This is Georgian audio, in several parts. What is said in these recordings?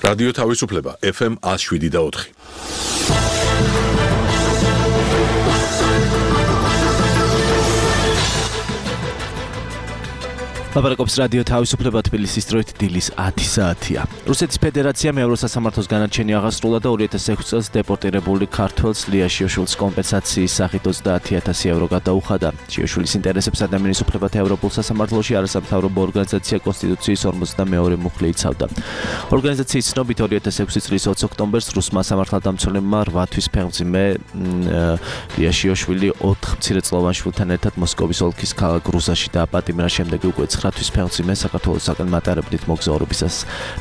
რადიო თავისუფლება FM 107.4. ლაპარაკობს რადიო თავისუფლება თბილისის დროით დილის 10 საათია. რუსეთის ფედერაციამ ევროსასამართლოს განაჩენი აღასრულა და 2006 წელს დეპორტირებული ქართველს ლია შიოშვილის კომპენსაციის სახით 30,000 ევრო გადაუხადა. შიოშვილის ინტერესებს ადამიანის უფლებათა ევროპულ სასამართლოში არასამთავრობო ორგანიზაცია კონსტიტუციის 52 მუხლი იცავდა. ორგანიზაციის ცნობით 2006 წლის 20 ოქტომბერს რუსმა სამართალდამცველებმა 8 თვის ფეხმძიმე ლია შიოშვილი 4 მცირეწლოვან შვილთან ერთად მოსკოვის ოლქის ქალაქ რუსაში დააპატიმრა, შემდეგ უკვე 9 თვის ფეხმძიმე საქართველოსაგან მატარებლით მოგზაურობისას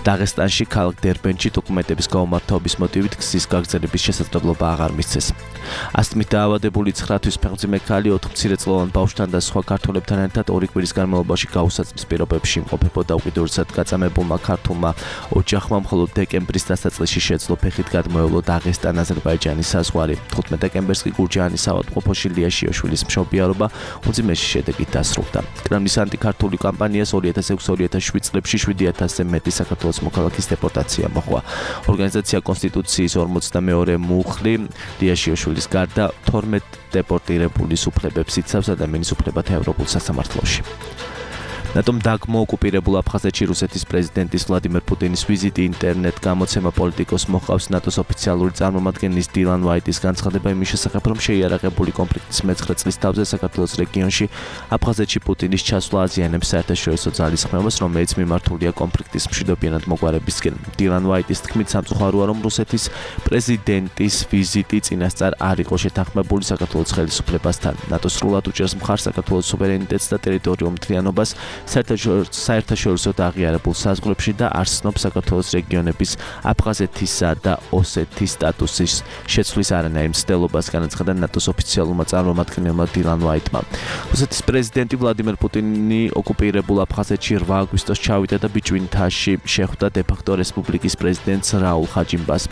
დაღესტანში ქალაქ დერბენტში დოკუმენტების გაუმართობის მოტივით გზის გაგრძელების შესაძლებლობა აღარ მისცეს. ასთმით დაავადებული 9 თვის ფეხმძიმე ქალი 4 მცირეწლოვან ბავშვთან და სხვა ქართველებთან ერთად 2 კვირის განმავლობაში გაუსაცმლის პირობებში იმყოფებოდა. უკიდურესად გაწამებულმა ქართულმა ოჯახმა მხოლოდ დეკემბრის დასაწყისში შეძლო ფეხით გადმოევლო დაღესტან-აზერბაიჯანის საზღვარი. 15 დეკემბერს კი გურჯაანის ავადმყოფოში ლია შიოშვილის მშობიარობა უძიმესი შედეგით დასრულდა. კრემლის ანტიქართული კამპანიას 2006-2007 წლებში 7,000-ზე მეტი საქართველოს მოქალაქის დეპორტაცია მოჰყვა. ორგანიზაცია კონსტიტუციის 52 მუხლი ლია შიოშვილის გარდა 12 დეპორტირებულის უფლებებს იცავს ადამიანის უფლებათა ევროპულ სასამართლოში. ნატომ დაგმოოკუპირებულ აფხაზეთში რუსეთის პრეზიდენტის ვლადიმერ პუტინის ვიზიტი ინტერნეტ გამოცემა პოლიტიკოს მოყავს ნატოს ოფიციალური წარმომადგენლის დილან ვაიტის განცხადება იმის შესახებ, რომ შეიარაღებული კონფლიქტის მე-9 წლის თავზე საქართველოს რეგიონში აფხაზეთში პუტინის ჩასვლა აზიანებს საერთაშორისო ძალისხმევას, რომელიც მიმართულია კონფლიქტის მშვიდობიანად მოგვარებისკენ. დილან ვაიტის თქმით, სამწუხაროა, რომ რუსეთის პრეზიდენტის ვიზიტი წინასწარ არ იყო შეთანხმებული საქართველოს ხელისუფლებასთან. ნატო სრულად უჭერს მხარს საქართველოს სუვერენიტეტს და ტერიტორიულ მთლიანობას საერთაშორისო აღიარებულ საზღვრებში და არ ცნობს საქართველოს რეგიონების აფხაზეთისა და ოსეთის სტატუსის შეცვლის არანაირ მცდელობას, განაცხადა ნატოს ოფიციალურმა წარმომადგენელმა დილან ვაიტმა. რუსეთის პრეზიდენტი ვლადიმერ პუტინი ოკუპირებულ აფხაზეთში 8 აგვისტოს ჩავიდა და ბიჭვინთაში შეხვდა დე-ფაქტო რესპუბლიკის პრეზიდენტს რაულ ხაჯიმბას.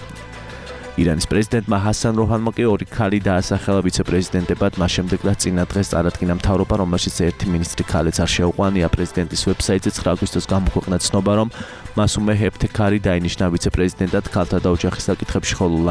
ირანის პრეზიდენტმა ჰასან როჰანმა კი 2 ქალი დაასახელა ვიცე-პრეზიდენტებად, მას შემდეგ რაც წინა დღეს წარადგინა მთავრობა, რომელშიც 1 მინისტრი ქალიც არ შეუყვანია. პრეზიდენტის ვებსაიტზე 9 აგვისტოს გამოქვეყნა ცნობა, რომ მასუმე ჰეფთქარი დაინიშნა ვიცე-პრეზიდენტად ქალთა და ოჯახის საკითხებში, ხოლო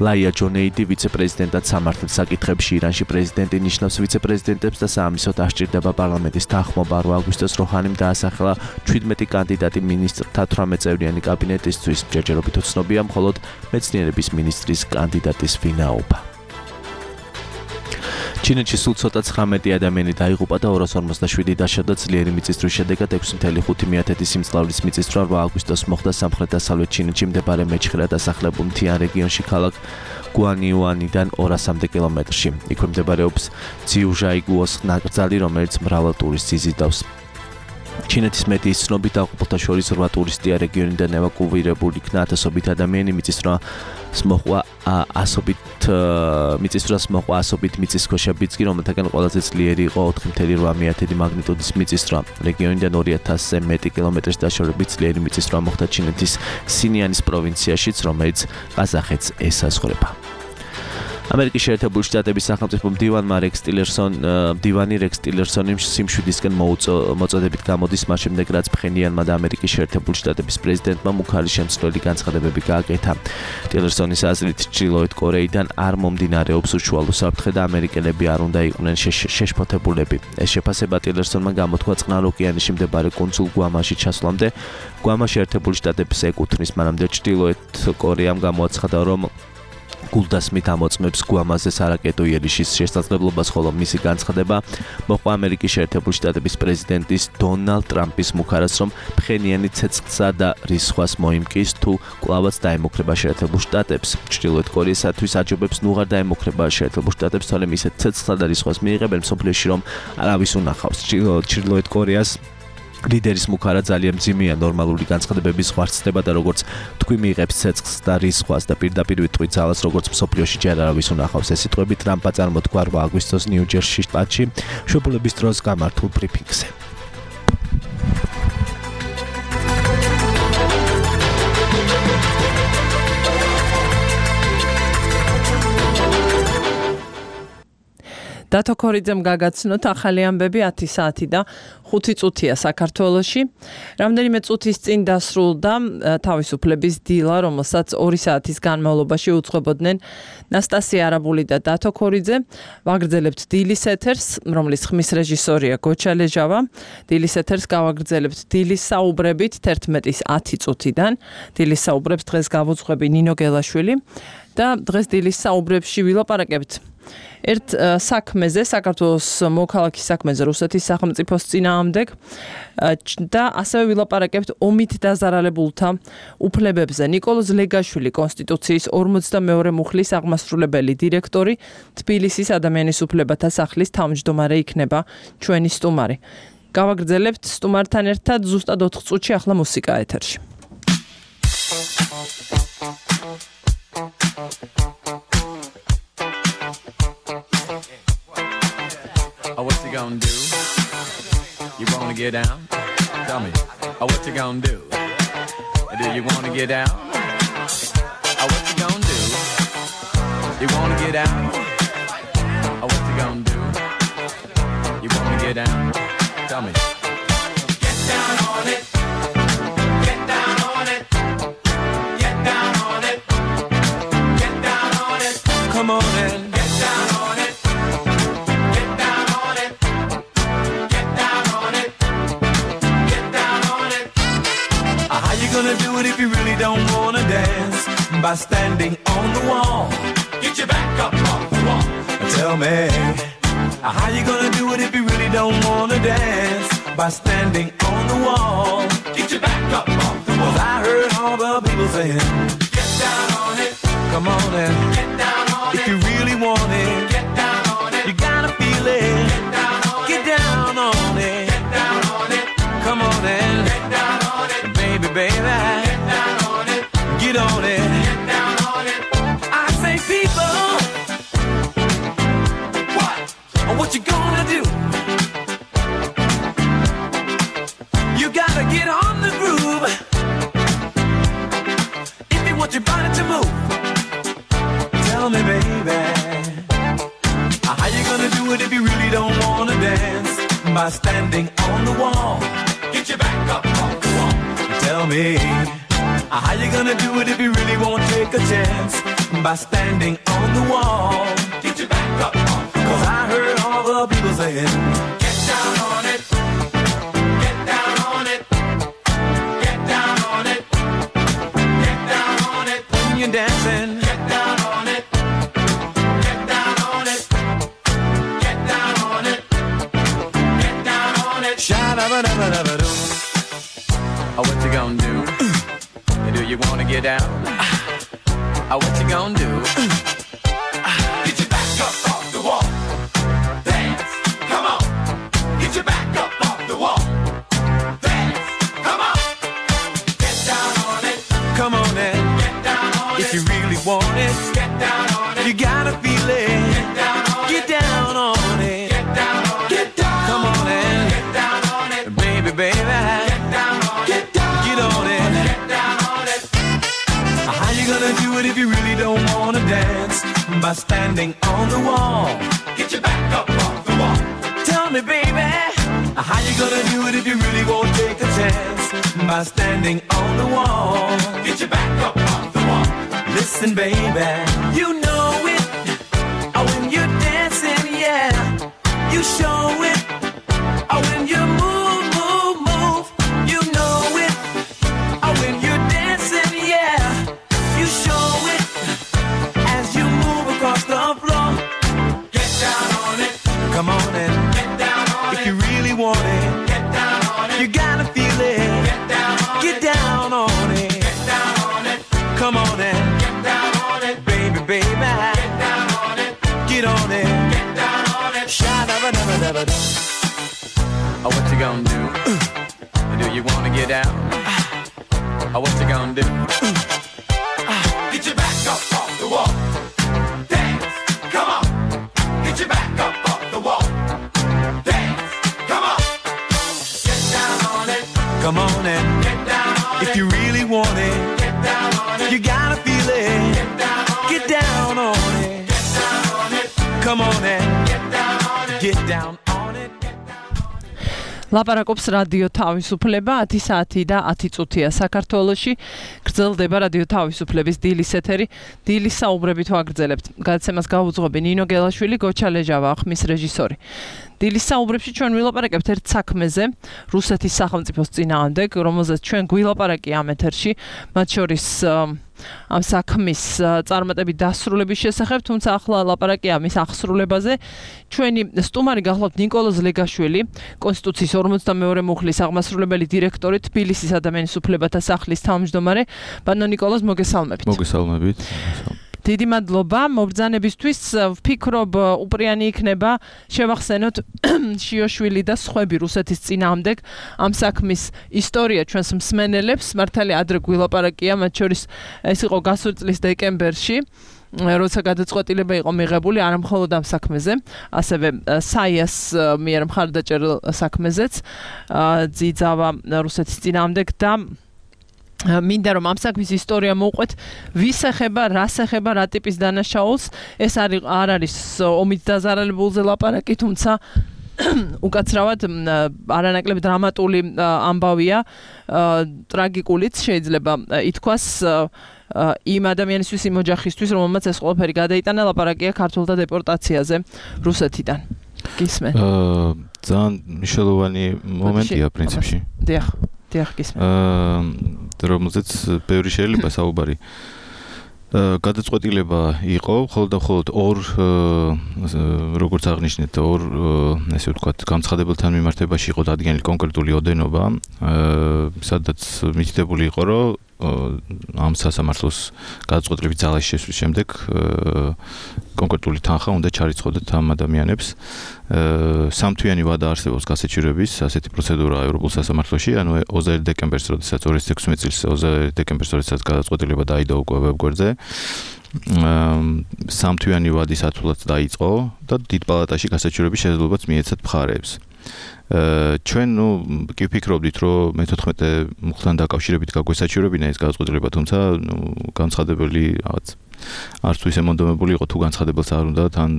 ლაია ჯონეიდი ვიცე-პრეზიდენტად სამართლის საკითხებში. ირანში პრეზიდენტი ნიშნავს ვიცე-პრეზიდენტებს და საამისოდ არ სჭირდება პარლამენტის თანხმობა. 8 აგვისტოს როჰანიმ დაასახელა 17 კანდიდატი მინისტრთა 18 წევრიანი კაბინეტისთვის. ჯერჯერობით უცნობია მხოლოდ მეცნიერების მინისტრის კანდიდატის ვინაობა. ჩინეთში სულ ცოტა 19 ადამიანი დაიღუპა და 257 დაშადა ძლიერი მიწისძვრის შედეგად. 6,5 სიმძლავრის მიწისძვრა 8 აგვისტოს მოხდა სამხრეთ-დასავლეთ ჩინეთში მდებარე მეჩხერად დასახლებულ მთიან რეგიონში ქალაქ გუანიუანიდან 200 კილომეტრში. იქვე მდებარეობს ძიუჟაიგუოს ნაკრძალი, რომელიც მრავალ ტურისტს იზიდავს. ჩინეთის მედიის ცნობით დაღუპულთა შორის 8 ტურისტია რეგიონიდან ევაკუირებული იქნა. ათასობით ადამიანი მიწისძვრას მოჰყვა ასობით მიწისქვეშა ბიძგი, რომელთაგან ყველაზე ძლიერი იყო 4,8 მაგნიტუდის მიწისძვრა. რეგიონიდან 2,000-ზე მეტი კილომეტრის დაშორებით ძლიერი მიწისძვრა მოხდა ჩინეთის სინიანის პროვინციაშიც, რომელიც ყაზახეთს ესაზღვრება. ამერიკის შეერთებული შტატების სახელმწიფო მდივანი რეკს ტილერსონი სიმშვიდისკენ მოწოდებით გამოდის, მას შემდეგ რაც ფხენიანმა და ამერიკის შეერთებული შტატების პრეზიდენტმა მუქარი შემცვლელი განცხადებები გააკეთა. ტილერსონის აზრით, ჩრდილოეთ კორეიდან არ მომდინარეობს უშუალო საფრთხე და ამერიკელები არ უნდა იყვნენ შეშფოთებულები. ეს შეფასება ტილერსონმა გამოთქვა წყნარ ოკეანეში მდებარე კუნძულ გვამაში ჩასვლამდე. გვამა შეერთებული შტატებს ეკუთვნის, მანამდე ჩრდილოეთ კორეამ გამოაცხადა, რომ გულდასმით ამოწმებს გვამაზე სარაკეტო იერიშის შესაძლებლობას, ხოლო მისი განცხადება მოჰყვა ამერიკის შეერთებული შტატების პრეზიდენტის დონალდ ტრამპის მუქარას, რომ ფხენიანი ცეცხლსა და რისხვას მოიმკის თუ კვლავაც დაემუქრება შეერთებულ შტატებს. ჩრდილოეთ კორეისათვის აჯობებს ნუ აღარ დაემუქრება შეერთებულ შტატებს, თორემ ისეთ ცეცხლსა და რისხვას მიიღებენ მსოფლიოში, რომ არავის უნახავს. ჩრდილოეთ კორეას ლიდერის მუქარა ძალიან მძიმეა, ნორმალური განცხადებების ღვარცდება და როგორც თქვი მიიღებს ცეცხლს და რისხვას და პირდაპირ ვიტყვით ძალას, როგორც მსოფლიოში ჯერ არავის უნახავს. ეს სიტყვები ტრამპმა წარმოთქვა 8 აგვისტოს ნიუ-ჯერსის შტატში მშობლების დროს გამართულ ბრიფინგზე. დათო ქორიძემ გაგაცნოთ ახალი ამბები 10 საათი და 5 წუთია საქართველოში. რამდენიმე წუთის წინ დასრულდა თავისუფლების დილა, რომელსაც 2 საათის განმავლობაში უძღვებოდნენ ნასტასია არაბული და დათო ქორიძე. ვაგრძელებთ დილის ეთერს, რომლის ხმის რეჟისორია გოჩა ლეჟავა. დილის ეთერს გავაგრძელებთ დილის საუბრებით 11-ის 10 წუთიდან. დილის საუბრებს დღეს გავუძღვები ნინო გელაშვილი და დღეს დილის საუბრებში ვილაპარაკებთ ერთ საქმეზე, საქართველოს მოქალაქის საქმეზე, რუსეთის სახელმწიფოს წინააღმდეგ და ასევე ვილაპარაკებთ ომით დაზარალებულთა უფლებებზე. ნიკოლოზ ლეგაშვილი, კონსტიტუციის 42 მუხლის აღმასრულებელი დირექტორი, თბილისის ადამიანის უფლებათა სახლის თავმჯდომარე იქნება ჩვენი სტუმარი. გავაგრძელებთ სტუმართან ერთად ზუსტად 4 წუთში ახლა მუსიკა ეთერში. Oh, what you gonna do? You wanna get down? Tell me. Oh, what you gonna do? Do you wanna get down? Oh, what you gonna do? You wanna get down? Oh, what you gonna do? You wanna get down? Tell me. Get down on it. Get down on it. Get down on it. Get down on it. Come on in. Get down on it. Get down on it. Get down on it. Get down on it. How you gonna do it if you really don't wanna dance? By standing on the wall. Get your back up off the wall. Tell me. How you gonna do it if you really don't wanna dance? By standing on the wall. Get your back up off the wall. 'Cause I heard all the people saying, get down on it. Come on in. Get down on it. If you really want it. Get down on it. You gotta feel it. Get down on it. Get down on it. Get down on it. Come on in. Get down on it. Baby, baby. Get down on it. Get on it. Get down on it. I say people. What you gonna do? You gotta get on the groove if you want your body to move. Tell me, baby, how you gonna do it if you really don't wanna dance? By standing on the wall. Get your back up on the wall. Tell me, how you gonna do it if you really won't take a chance? By standing on the wall. Get your back up on the wall. 'Cause I heard all the people saying, get down on it. Get down on it. Get down on it. Get down on it. When you're dancing, get down on it. Get down on it. Get down on it. Get down on it. Sha-da-ba-da-ba-da-ba-doo. Oh, what you gonna do? Do you wanna get down? Oh, what you gonna do? Get your back up off the wall. Dance, come on. Get your back up off the wall. Dance, come on. Get down on it. Come on in. Get down on it. If you really want it. Get down on it. You gotta feel it. Get down on it. Get down on it. Get down on it. Get down. Come on in. Get down on it. Baby, baby. Get down on it. Get down. Get on it. Get down on it. How you gonna do it if you really don't wanna dance? By standing on the wall. Get your back up off the wall. Tell me, baby, how you gonna do it if you really won't take a chance? By standing on the wall. Get your back up off the wall. Listen, baby, you know it. Oh, when you're dancing, yeah, you show it. Oh, when you move, move, move, you know it. Oh, when you're dancing, yeah, you show it. As you move across the floor. Get down on it. Come on in. Get down on it. If you really want it. Get down on it. You gotta feel it. Get down on it. Get down on it. Get down on it. Come on in. Get down on it. Baby, baby. Get down on it. Get on it. Get down on it. Sha-da-ba-da-ba-da-ba-da. Oh, what you gonna do? Do you wanna get down? Oh, what you gonna do? Get your back up off the wall. Dance, come on. Get your back up off the wall. Dance, come on. Get down on it. Come on in. Get down on it. If you really want it. Get down on it. You gotta feel it. Get down on it. Get down on it. Get down on it. Come on in. Get down on it. get down on it. ლაპარაკობს რადიო თავისუფლება 10 საათი და 10 წუთია საქართველოში. გრძელდება რადიო თავისუფლების დილის ეთერი. დილის საუბრებით ვაგრძელებთ. გადაცემას გაუძღვები ნინო გელაშვილი, გოჩა ლეჟავა, ხმის რეჟისორი. დილის საუბრებში ჩვენ ვილაპარაკებთ ერთ საქმეზე, რუსეთის სახელმწიფოს წინააღმდეგ, რომელზეც ჩვენ გვილაპარაკი ამ ეთერში, მათ შორის ამ საქმის წარმატებით დასრულების შესახებ, თუმცა ახლა ლაპარაკია მის აღსრულებაზე. ჩვენი სტუმარი გახლავთ ნიკოლო ზლეგაშვილი, კონსტიტუციის 52 მუხლის აღმასრულებელი დირექტორი, თბილისის ადამიანის უფლებათა სახლის თავმჯდომარე. ბანო ნიკოლოზ, მოგესალმებით. მოგესალმებით. დიდი მადლობა მობრძანებისთვის. ვფიქრობ, უპრიანი იქნება შევახსენოთ შიოშვილი და სხვები რუსეთის წინააღმდეგ ამ საქმის ისტორია ჩვენს მსმენელებს. მართალია ადრე გვილაპარაკია, მათ შორის ეს იყო გასული წლის დეკემბერში, როცა გადაწყვეტილება იყო მიღებული არა მხოლოდ ამ საქმეზე, ასევე საიას მიერ მხარდაჭერილ საქმეზეც ძიძავა რუსეთის წინააღმდეგ და მინდა რომ ამ საქმის ისტორია მოვყვეთ, ვის ეხება, რას ეხება, რა ტიპის დანაშაულს. ეს არ არის ომით დაზარალებულზე ლაპარაკი, თუმცა უკაცრავად არანაკლებ დრამატული ამბავია, ტრაგიკულიც შეიძლება ითქვას იმ ადამიანისთვის, იმ ოჯახისთვის, რომელმაც ეს ყველაფერი გადაიტანა. ლაპარაკია ქართველთა დეპორტაციაზე რუსეთიდან. გისმენ? ძალიან მნიშვნელოვანი მომენტია პრინციპში. დიახ, გისმენ. რომელზეც ბევრი შეიძლება საუბარი. გადაწყვეტილება იყო მხოლოდ ორ როგორც აღნიშნეთ, ორ ესე ვთქვათ, განცხადებელთან მიმართებაში იყო დადგენილი კონკრეტული ოდენობა, სადაც მითითებული იყო, რომ ამ სასამართლოს გადაწყვეტილების ძალაში შესვლის შემდეგ კონკრეტული თანხა უნდა ჩარიცხოდეთ ამ ადამიანებს. სამთვიანი ვადა არსებობს გასაჩივრების ასეთი პროცედურა ევროპულ სასამართლოში, ანუ 20 დეკემბერს, როდესაც 2016 წლის 20 დეკემბერს, როდესაც გადაწყვეტილება დაიდო უკვე ვებგვერდზე, სამთვიანი ვადის ათვლაც დაიწყო და დიდ პალატაში გასაჩივრების შესაძლებლობაც მიეცათ მხარეებს. ჩვენ კი ვფიქრობდით, რომ მე-14 მუხლთან დაკავშირებით გაგვესაჩივრებინა ეს გადაწყვეტილება, თუმცა განცხადებელი რაღაც არც თუ ისე მონდომებული იყო, თუ განცხადებელს არ უნდა, თან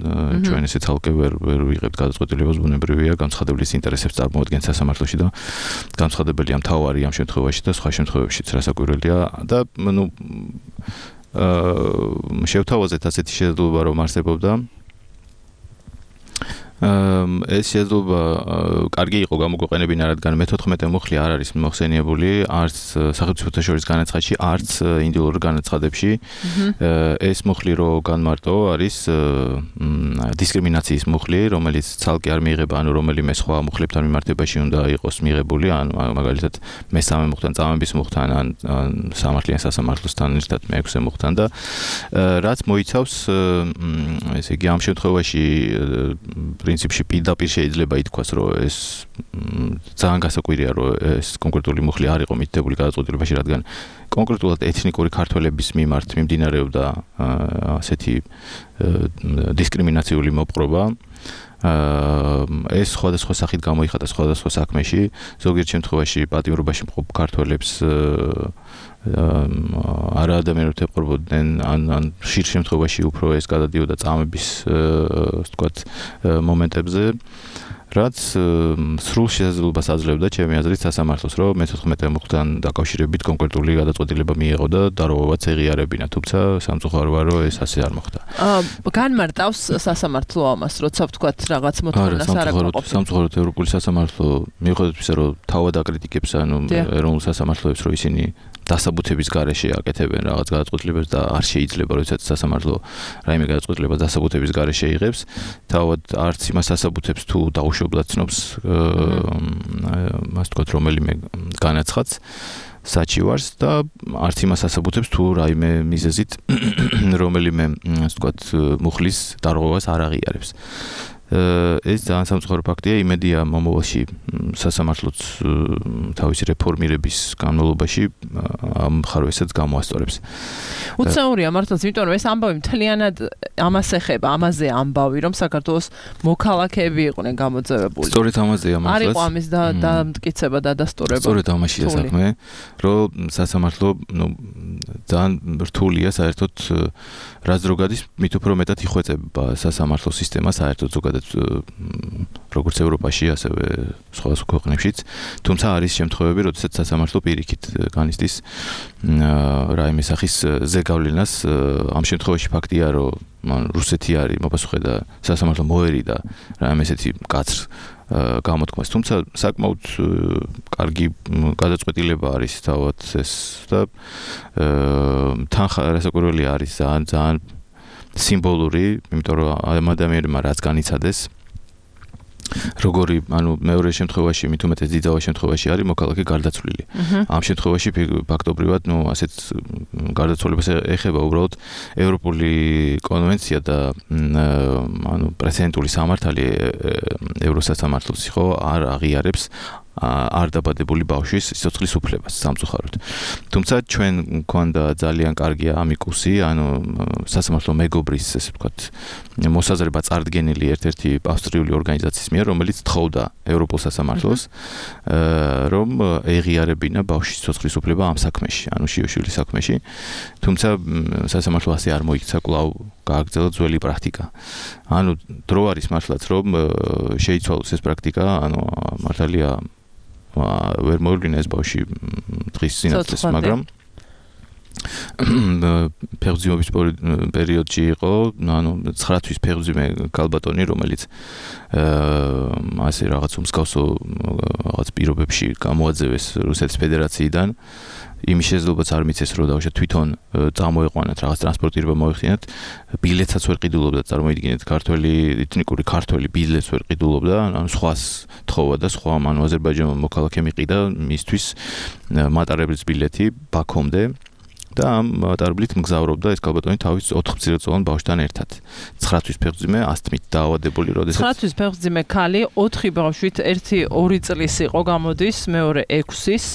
ჩვენ ესე ცალკე ვერ ვიღებთ გადაწყვეტილებას, ბუნებრივია, განცხადებლის ინტერესებს წარმოადგენს სასამართლოში და განცხადებელი ამ თავარი ამ შემთხვევაში და სხვა შემთხვევებშიც რასაკვირველია და შევთავაზეთ ასეთი შესაძლებლობა, რომ არსებობდა. ეს შესაძლებლობა კარგი იყო გამოგვეყენებინა, რადგან მე-14 მუხლი არ არის მოხსენიებული არც სახელმწიფოთა შორის განაცხადში, არც ინდივიდუალურ განაცხადებში. ეს მუხლი რო განმარტო არის დისკრიმინაციის მუხლი, რომელიც ცალკე არ მიიღება, ანუ რომელიმე სხვა მუხლებთან მიმართებაში უნდა იყოს მიღებული, ანუ მაგალითად მესამე მუხლთან, წამების მუხლთან, ან სამართლიან სასამართლოსთან ერთად მე-6 მუხლთან და რაც მოიცავს ესე იგი ამ შემთხვევაში პრინციპში პირდაპირ შეიძლება ითქვას, რომ ეს ძალიან გასაკვირია, რომ ეს კონკრეტული მუხლი არ იყო მითითებული გადაწყვეტილებაში, რადგან კონკრეტულად ეთნიკური ქართველების მიმართ მიმდინარეობდა ასეთი დისკრიმინაციული მოპყრობა. ეს სხვადასხვა სახით გამოიხატა სხვადასხვა საქმეში, ზოგიერთ შემთხვევაში პატიმრობაში მყოფ ქართველებს არა ადამიანებად ეპყრობოდნენ, ან ხშირ შემთხვევაში უფრო ეს გადადიოდა წამების ვთქვათ მომენტებზე, რაც სრულ შესაძლებლობას აძლევდა ჩემი აზრით სასამართლოს, რომ მე-14 მუხლთან დაკავშირებით კონკრეტული გადაწყვეტილება მიიღო და დარღვევაც ეღიარებინა, თუმცა სამწუხაროა, რომ ეს ასე არ მოხდა. განმარტავს სასამართლო ამას, როცა ვთქვათ რაღაც მოთხოვნას არ აკმაყოფილებს. სამწუხაროდ ევროპული სასამართლო მიუხედავად იმისა, რომ თავად აკრიტიკებს ანუ ეროვნულ სასამართლოებს, რომ ისინი დასაბუთების გარეშე აკეთებენ რაღაც გადაწყვეტილებას და არ შეიძლება, როდესაც სასამართლო რაიმე გადაწყვეტილება დასაბუთების გარეშე იღებს, თავად არც იმას დასაბუთებს თუ დაუშვებლად ცნობს მას თქვათ რომელიმე განაცხადს საჩივარს და არც იმას დასაბუთებს თუ რაიმე მიზეზით რომელიმე ასე თქვათ მუხლის დარღვევას არ აღიარებს. ეს ძალიან სამწუხარო ფაქტია, იმედია მომავალში სასამართლოც თავისი რეფორმირების განმავლობაში ამ მხარესაც გამოასწორებს. უცნაურია მართლაც, იმიტომ რომ ეს ამბავი მთლიანად ამას ეხება, ამაზე ამბავი, რომ საქართველოს მოქალაქეები იყვნენ გამოძევებული. სწორედ ამაზეა მართლაც. არ იყო ამის დამტკიცება და დასტურება. სწორედ ამაშია საქმე, რომ სასამართლო ძალიან რთულია საერთოდ რაც რო გადის, მით უფრო მეტად იხვეწება სასამართლო სისტემა საერთოდ ზოგადად ზოგადად როგორც ევროპაში, ასევე სხვა ქვეყნებშიც. თუმცა არის შემთხვევები, როდესაც სასამართლო პირიქით განიცდის რაიმე სახის ზეგავლენას. ამ შემთხვევაში ფაქტია, რომ რუსეთი არის მოპასუხე და სასამართლო მოერიდა რაიმე ესეთი მკაცრ გამოთქმას. თუმცა საკმაოდ კარგი გადაწყვეტილება არის თავად ეს და რასაკვირველი არის ძალიან სიმბოლური, იმიტომ რომ ამ ადამიანმა რაც განიცადეს როგორი, მეორე შემთხვევაში, მით უმეტეს დიდძალ შემთხვევაში არის მოქალაქე გარდაცვლილი. ამ შემთხვევაში ფაქტობრივად, ასეთ გარდაცვალებას ეხება უბრალოდ ევროპული კონვენცია და პრეცედენტული სამართალი ევროსასამართლოს ხო არ აღიარებს არ დაბადებული ბავშვის სიცოცხლის უფლებას სამწუხაროდ. თუმცა ჩვენ გვქონდა ძალიან კარგი ამიკუსი, სასამართლო მეგობრის, ესე ვთქვათ, მოსაზრება წარდგენილი ერთ-ერთი ავსტრიული ორგანიზაციის მიერ, რომელიც თხოვდა ევროპულ სასამართლოს, რომ ეღიარებინა ბავშვის სიცოცხლის უფლება ამ საქმეში, შიოშვილის საქმეში. თუმცა სასამართლო ასე არ მოიქცა, კვლავ გააგრძელა ძველი პრაქტიკა. დრო არის მართლაც, რომ შეიცვალოს ეს პრაქტიკა, მართალია ვერ მოვლინეს ბავში დღის სინათლეს, მაგრამ ფეხმძიმების პერიოდში იყო, 9 თვის ფეხმძიმე ქალბატონი, რომელიც ასე რაღაც უმსგავსო რაღაც პირობებში გამოაძევეს რუსეთის ფედერაციიდან. იმის შესაძლებლობაც არ მიცეს, რომ დავუშვათ თვითონ წამოეყვანათ რაღაც ტრანსპორტირება მოეხდინათ, ბილეთსაც ვერ ყიდულობდა, წარმოიდგინეთ, ეთნიკური ქართველი ბილეთს ვერ ყიდულობდა, სხვას თხოვა და სხვა აზერბაიჯანმა მოქალაქე მიყიდა მისთვის მატარებლის ბილეთი ბაქომდე და ამ მატარებლით მგზავრობდა ეს ქალბატონი თავის 4 მცირეწლოვან ბავშვთან ერთად. 9 თვის ფეხმძიმე ასთმით დაავადებული, როდესაც 9 თვის ფეხმძიმე ქალი 4 ბავშვით, ერთი 2 წლის იყო გამოდის, მეორე 6-ის,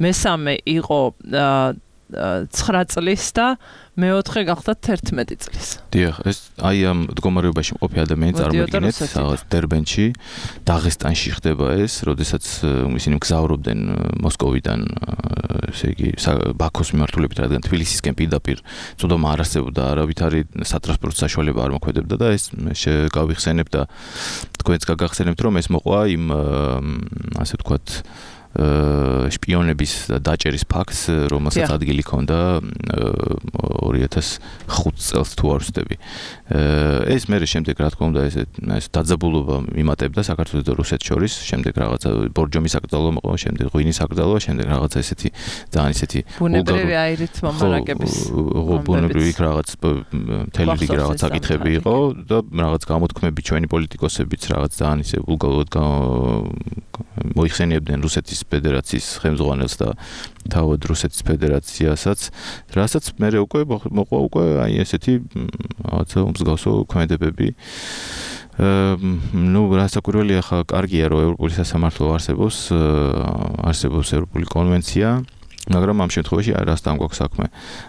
მესამე იყო 9 წლის და მეოთხე გახდა 11 წლის. დიახ, ეს ამ მდგომარეობაში მყოფი ადამიანი წარმოიდგინეთ, რაღაც დერბენში, დაღესტანში ხდება ეს, როდესაც ისინი მგზავრობდნენ მოსკოვიდან, ესე იგი, ბაქოს მიმართულებით, რადგან თბილისისკენ პირდაპირ წვდომა არ არსებობდა, არავითარი სატრანსპორტო საშუალება არ მოქმედებდა და ეს გავიხსენებ და თქვენც გაგახსენებთ, რომ ეს მოყვა იმ ასე ვთქვათ შპიონების დაჭერის ფაქტს, რომელსაც ადგილი ჰქონდა 2005 წელს თუ არ ვცდები. ეს მერე შემდეგ რა თქმა უნდა ეს დაძაბულობა იმატებდა საქართველოს და რუსეთს შორის, შემდეგ რაღაცა ბორჯომის აკრძალვა მოყვა, შემდეგ ღვინის აკრძალვა, შემდეგ რაღაცა ესეთი ძალიან ესეთი ბუნებრივი აირით მომარაგების ბუნებრივი რაღაც მთელი რიგი რაღაც საკითხები იყო და რაღაც გამოთქმები ჩვენი პოლიტიკოსებიც რაღაც ძალიან ისე ვულგარულად მოიხსენიებდნენ რუსეთის ფედერაციის ხელმძღვანელს და თავად რუსეთის ფედერაციასაც, რასაც მერე უკვე მოყვა უკვე აი ესეთი რაღაცა მსგავსო ქმედებები. რასაკვირველია, ხა კარგია, რომ ევროპული სასამართლო არსებობს ევროპული კონვენცია, მაგრამ ამ შემთხვევაში რასთან გვაქვს საქმე.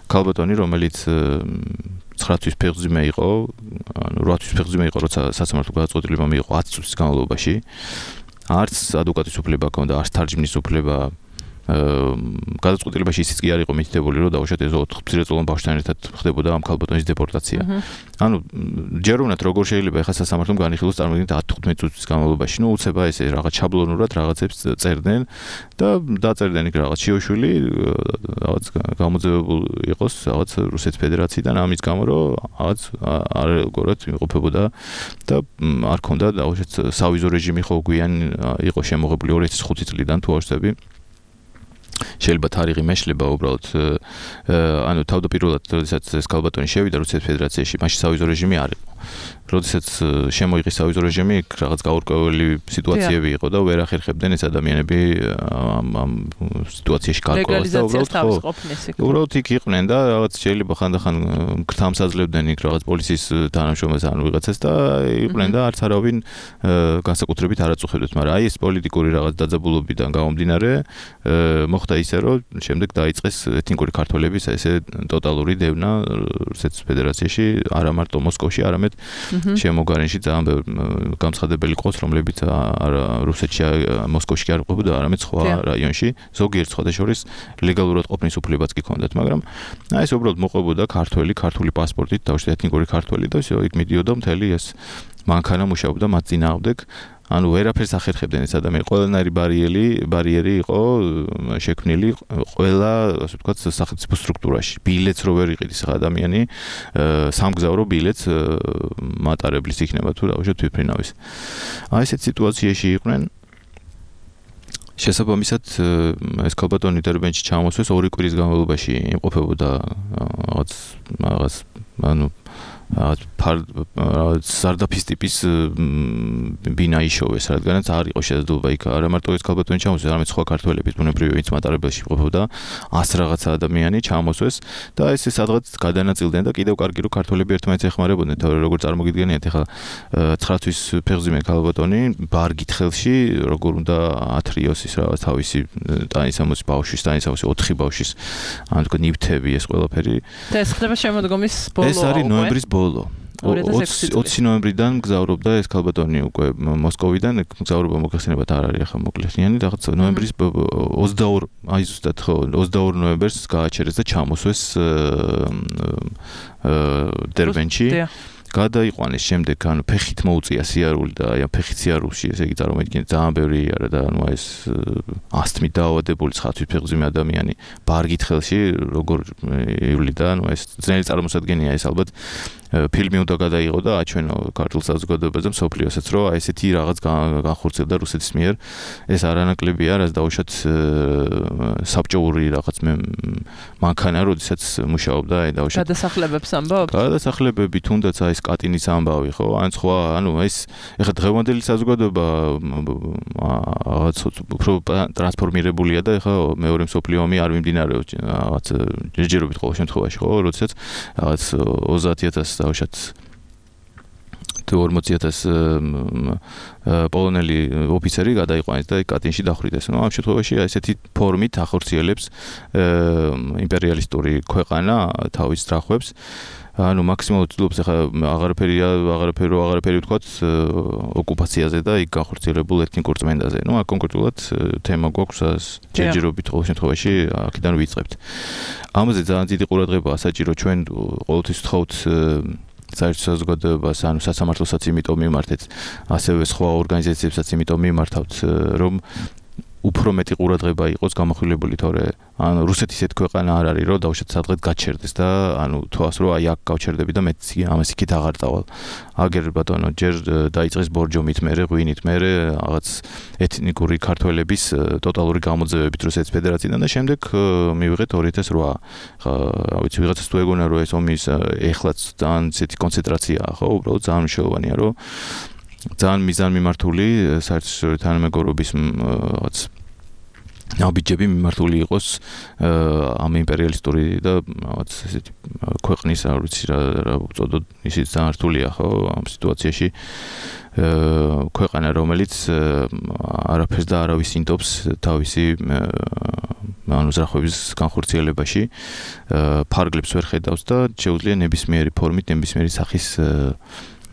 ქალბატონი, რომელიც 9 თვის ფეხმძიმე იყო, 8 თვის ფეხმძიმე იყო, როცა სასამართლო გადაწყვეტილება მიიღო 10 წლის განმავლობაში. არც ადვოკატის უფლება ჰქონდა, არც თარჯმნის უფლება. გადაწყვეტილებაში ისიც კი არ იყო მითითებული, რომ დავუშვათ ეს 4 მცირეწლოვან ბავშვთან ერთად ხდებოდა ამ ქალბატონის დეპორტაცია. ჯერ უნდათ როგორ შეიძლება ახლა სასამართლომ განიხილოს წარმოიდგინეთ 10-15 წუთის განმავლობაში, უცება ესე რაღაც შაბლონურად რაღაცებს წერდნენ და დაწერდნენ იქ რაღაც შიოშვილი, რაღაც გამოძევებული იყოს რაღაც რუსეთის ფედერაციიდან, ამის გამო რომ რაღაც არეგორად იმყოფებოდა და არ ქონდა დავუშვათ სავიზო რეჟიმი ხო გვიან იყო შემოღებული 2005 წლიდან თუ არ ვცდები. შეიძლება თარიღი მეშლება უბრალოდ თავდაპირველად როდესაც ეს ქალბატონი შევიდა რუსეთის ფედერაციაში, მაშინ სავიზო რეჟიმი არ იყო. როდესაც შემოიღეს სავიზო რეჟიმი, რაღაც გაურკვეველი სიტუაციები იყო და ვერ ახერხებდნენ ეს ადამიანები ამ სიტუაციაში გარკვევას და უბრალოდ იქ იყვნენ და რაღაც შეიძლება ხანდახან გრთამსაძლებდნენ იქ რაღაც პოლიციის თანამშრომელს ან ვიღაცას და იყვნენ და არც არავინ განსაკუთრებით არ აწუხებდათ, მაგრამ აი ეს პოლიტიკური რაღაც დაძაბულობიდან გამომდინარე მოხდა ისე, რომ შემდეგ დაიწყეს ეთნიკური ქართველების ესე ტოტალური დევნა რუსეთის ფედერაციაში, არა მარტო მოსკოვში, არამედ შემოგარენში ძალიან გამცხადებელი ყოს, რომლებიც რუსეთში, მოსკოვში არ ყოფილიყო, არამედ სხვა რაიონში, ზოგიერთ სხვადასხვა ლეგალურად ყოფნის უფლებაც კი ჰქონდათ, მაგრამ ეს უბრალოდ მოყვებოდა ქართული პასპორტით, დავუშვათ ეთნიკური ქართველი და იქ მიდიოდა მთელი ეს მანქანა მუშაობდა მათ წინააღმდეგ. ანუ ვერაფერს ახერხებდნენ ეს ადამიანი. ყველანაირი ბარიერი იყო შექმნილი ყველა, ასე ვთქვათ, სახელმწიფო სტრუქტურაში. ბილეთს რო ვერ იყიდის ადამიანი, სამგზავრო ბილეთს მატარებლის იქნება თუ დაუშვათ თვითმფრინავის. ესეთ სიტუაციაში იყვნენ. შესაბამისად ეს ქალბატონი დერბენში ჩამოსვეს 2 კვირის განმავლობაში იმყოფებოდა რაღაც ანუ სარდაფის ტიპის ბინა იშოვეს, რადგანაც არ იყო შესაძლებლობა იქ არა მარტო ეს ქალბატონი ჩამოსვეს, არამედ სხვა ქართველების ბუნებრივი ვინც მატარებელში იმყოფებოდა 100 რაღაცა ადამიანი ჩამოსვეს და ეს სადღაც გადანაწილდნენ და კიდევ კარგი რომ ქართველები ერთმანეთს ეხმარებოდნენ, თორე როგორ წარმოგიდგენიათ ახლა 9 თვის ფეხზიმე ქალბატონი ბარგით ხელში როგორ უნდა ათრიოს ის რაღაც თავისი ტანისამოსი ბავშვის, ტანისამოსი 4 ბავშვის ან თქო ნივთები ეს ყველაფერი და ეს ხდება შემოდგომის ბოლო. ეს არის ნოემბრის ბოლო. 20 ნოემბრიდან მგზავრობდა ეს ქალბატონი უკვე მოსკოვიდან, მგზავრობა მოგეხსენებათ არ არის ახლა მოკლეციანი, რაღაც ნოემბრის 22 აი ზუსტად ხო 22 ნოემბერს გააჩერეს და ჩამოსვეს დერბენში. გადაიყვანეს შემდეგ, ანუ ფეხით მოუწია სიარული და აი ფეხით სიარულში, ესე იგი წარმოიდგინეთ, ძალიან ბევრი არა და ანუ ეს ასთმით დაავადებული ცხადვის ფეხზიმე ადამიანი ბარგით ხელში როგორ ივლიდა, ანუ ეს ძნელი წარმოსადგენია ეს ალბათ ფილმი უნდა გადაიღო და აჩვენო ქართულ საზოგადოებაზე მსოფლიოსაც, რომ აი ესეთი რაღაც განხორციელდა რუსეთის მიერ. ეს არანაკლებია, რაც დაუშვათ საბჭოური რაღაც მანქანა, როდესაც მუშაობდა, აი დაუშვათ გადასახლებებს ამბობ? გადასახლებები თუნდაც აი კატინის ამბავი, ხო? ან სხვა, ანუ ეს ეხლა დღევანდელი საზოგადოება რაღაც უფრო ტრანსფორმირებულია და ეხლა მეორე მსოფლიო ომი არ მიმდინარეობს რაღაც ჯერჯერობით ყოველ შემთხვევაში, ხო? როდესაც რაღაც 30,000 დაუშვათ თუ 40,000 პოლონელი ოფიცერი გადაიყვანეს და კატინში დახვრიტეს. ნუ ამ შემთხვევაში ესეთი ფორმით ახორციელებს იმპერიალისტური ქვეყანა თავის ძრახვებს. ანუ მაქსიმალურად ცდილობს ახლა აღარაფერი ვთქვათ ოკუპაციაზე და იქ განხორციელებულ ეთნიკურ წმენდაზე. ნუ კონკრეტულად თემა გვაქვს ჯერჯერობით ყოველ შემთხვევაში აქედან ვიწყებთ. ამაზე ძალიან დიდი ყურადღებაა საჭირო ჩვენ ყოველთვის ვთხოვთ საერთო საზოგადოებას, ანუ სასამართლოსაც იმიტომ მიმართეთ, ასევე სხვა ორგანიზაციებსაც იმიტომ მიმართავთ, რომ უფრო მეტი ყურადღება იყოს გამახვილებული, თორე ანუ რუსეთის ერთ ქვეყანა არ არის, რომ დაუშვათ სადღაც გაჩერდეს და ანუ თვალს რომ აი აქ გავჩერდები და მეც ამას იქით აღარ წავალ. აგერ ბატონო, ჯერ დაიწყეს ბორჯომით, მერე ღვინით, მერე რაღაც ეთნიკური ქართველების ტოტალური გამოძევებით რუსეთის ფედერაციიდან და შემდეგ მივიღეთ 2008. ხა ვიცი ვიღაცას თუ ეგონა რომ ეს ომის ეხლაც ძალიან ისეთი კონცენტრაციაა, ხო, უბრალოდ ძალიან მნიშვნელოვანია, რომ ძალიან მიზანმიმართული საერთაშორისო თანამეგობრობის რაღაც ნაბიჯები მიმართული იყოს ამ იმპერიალისტური და რაღაც ესეთი ქვეყნის არ ვიცი რა უწოდოთ, ისიც ძალიან რთულია, ხო, ამ სიტუაციაში ქვეყანა, რომელიც არაფერს და არავის ინდობს თავისი ანუ ზრახების განხორციელებაში, ფარგლებს ვერ ხედავს და შეუძლია ნებისმიერი ფორმით, ნებისმიერი სახის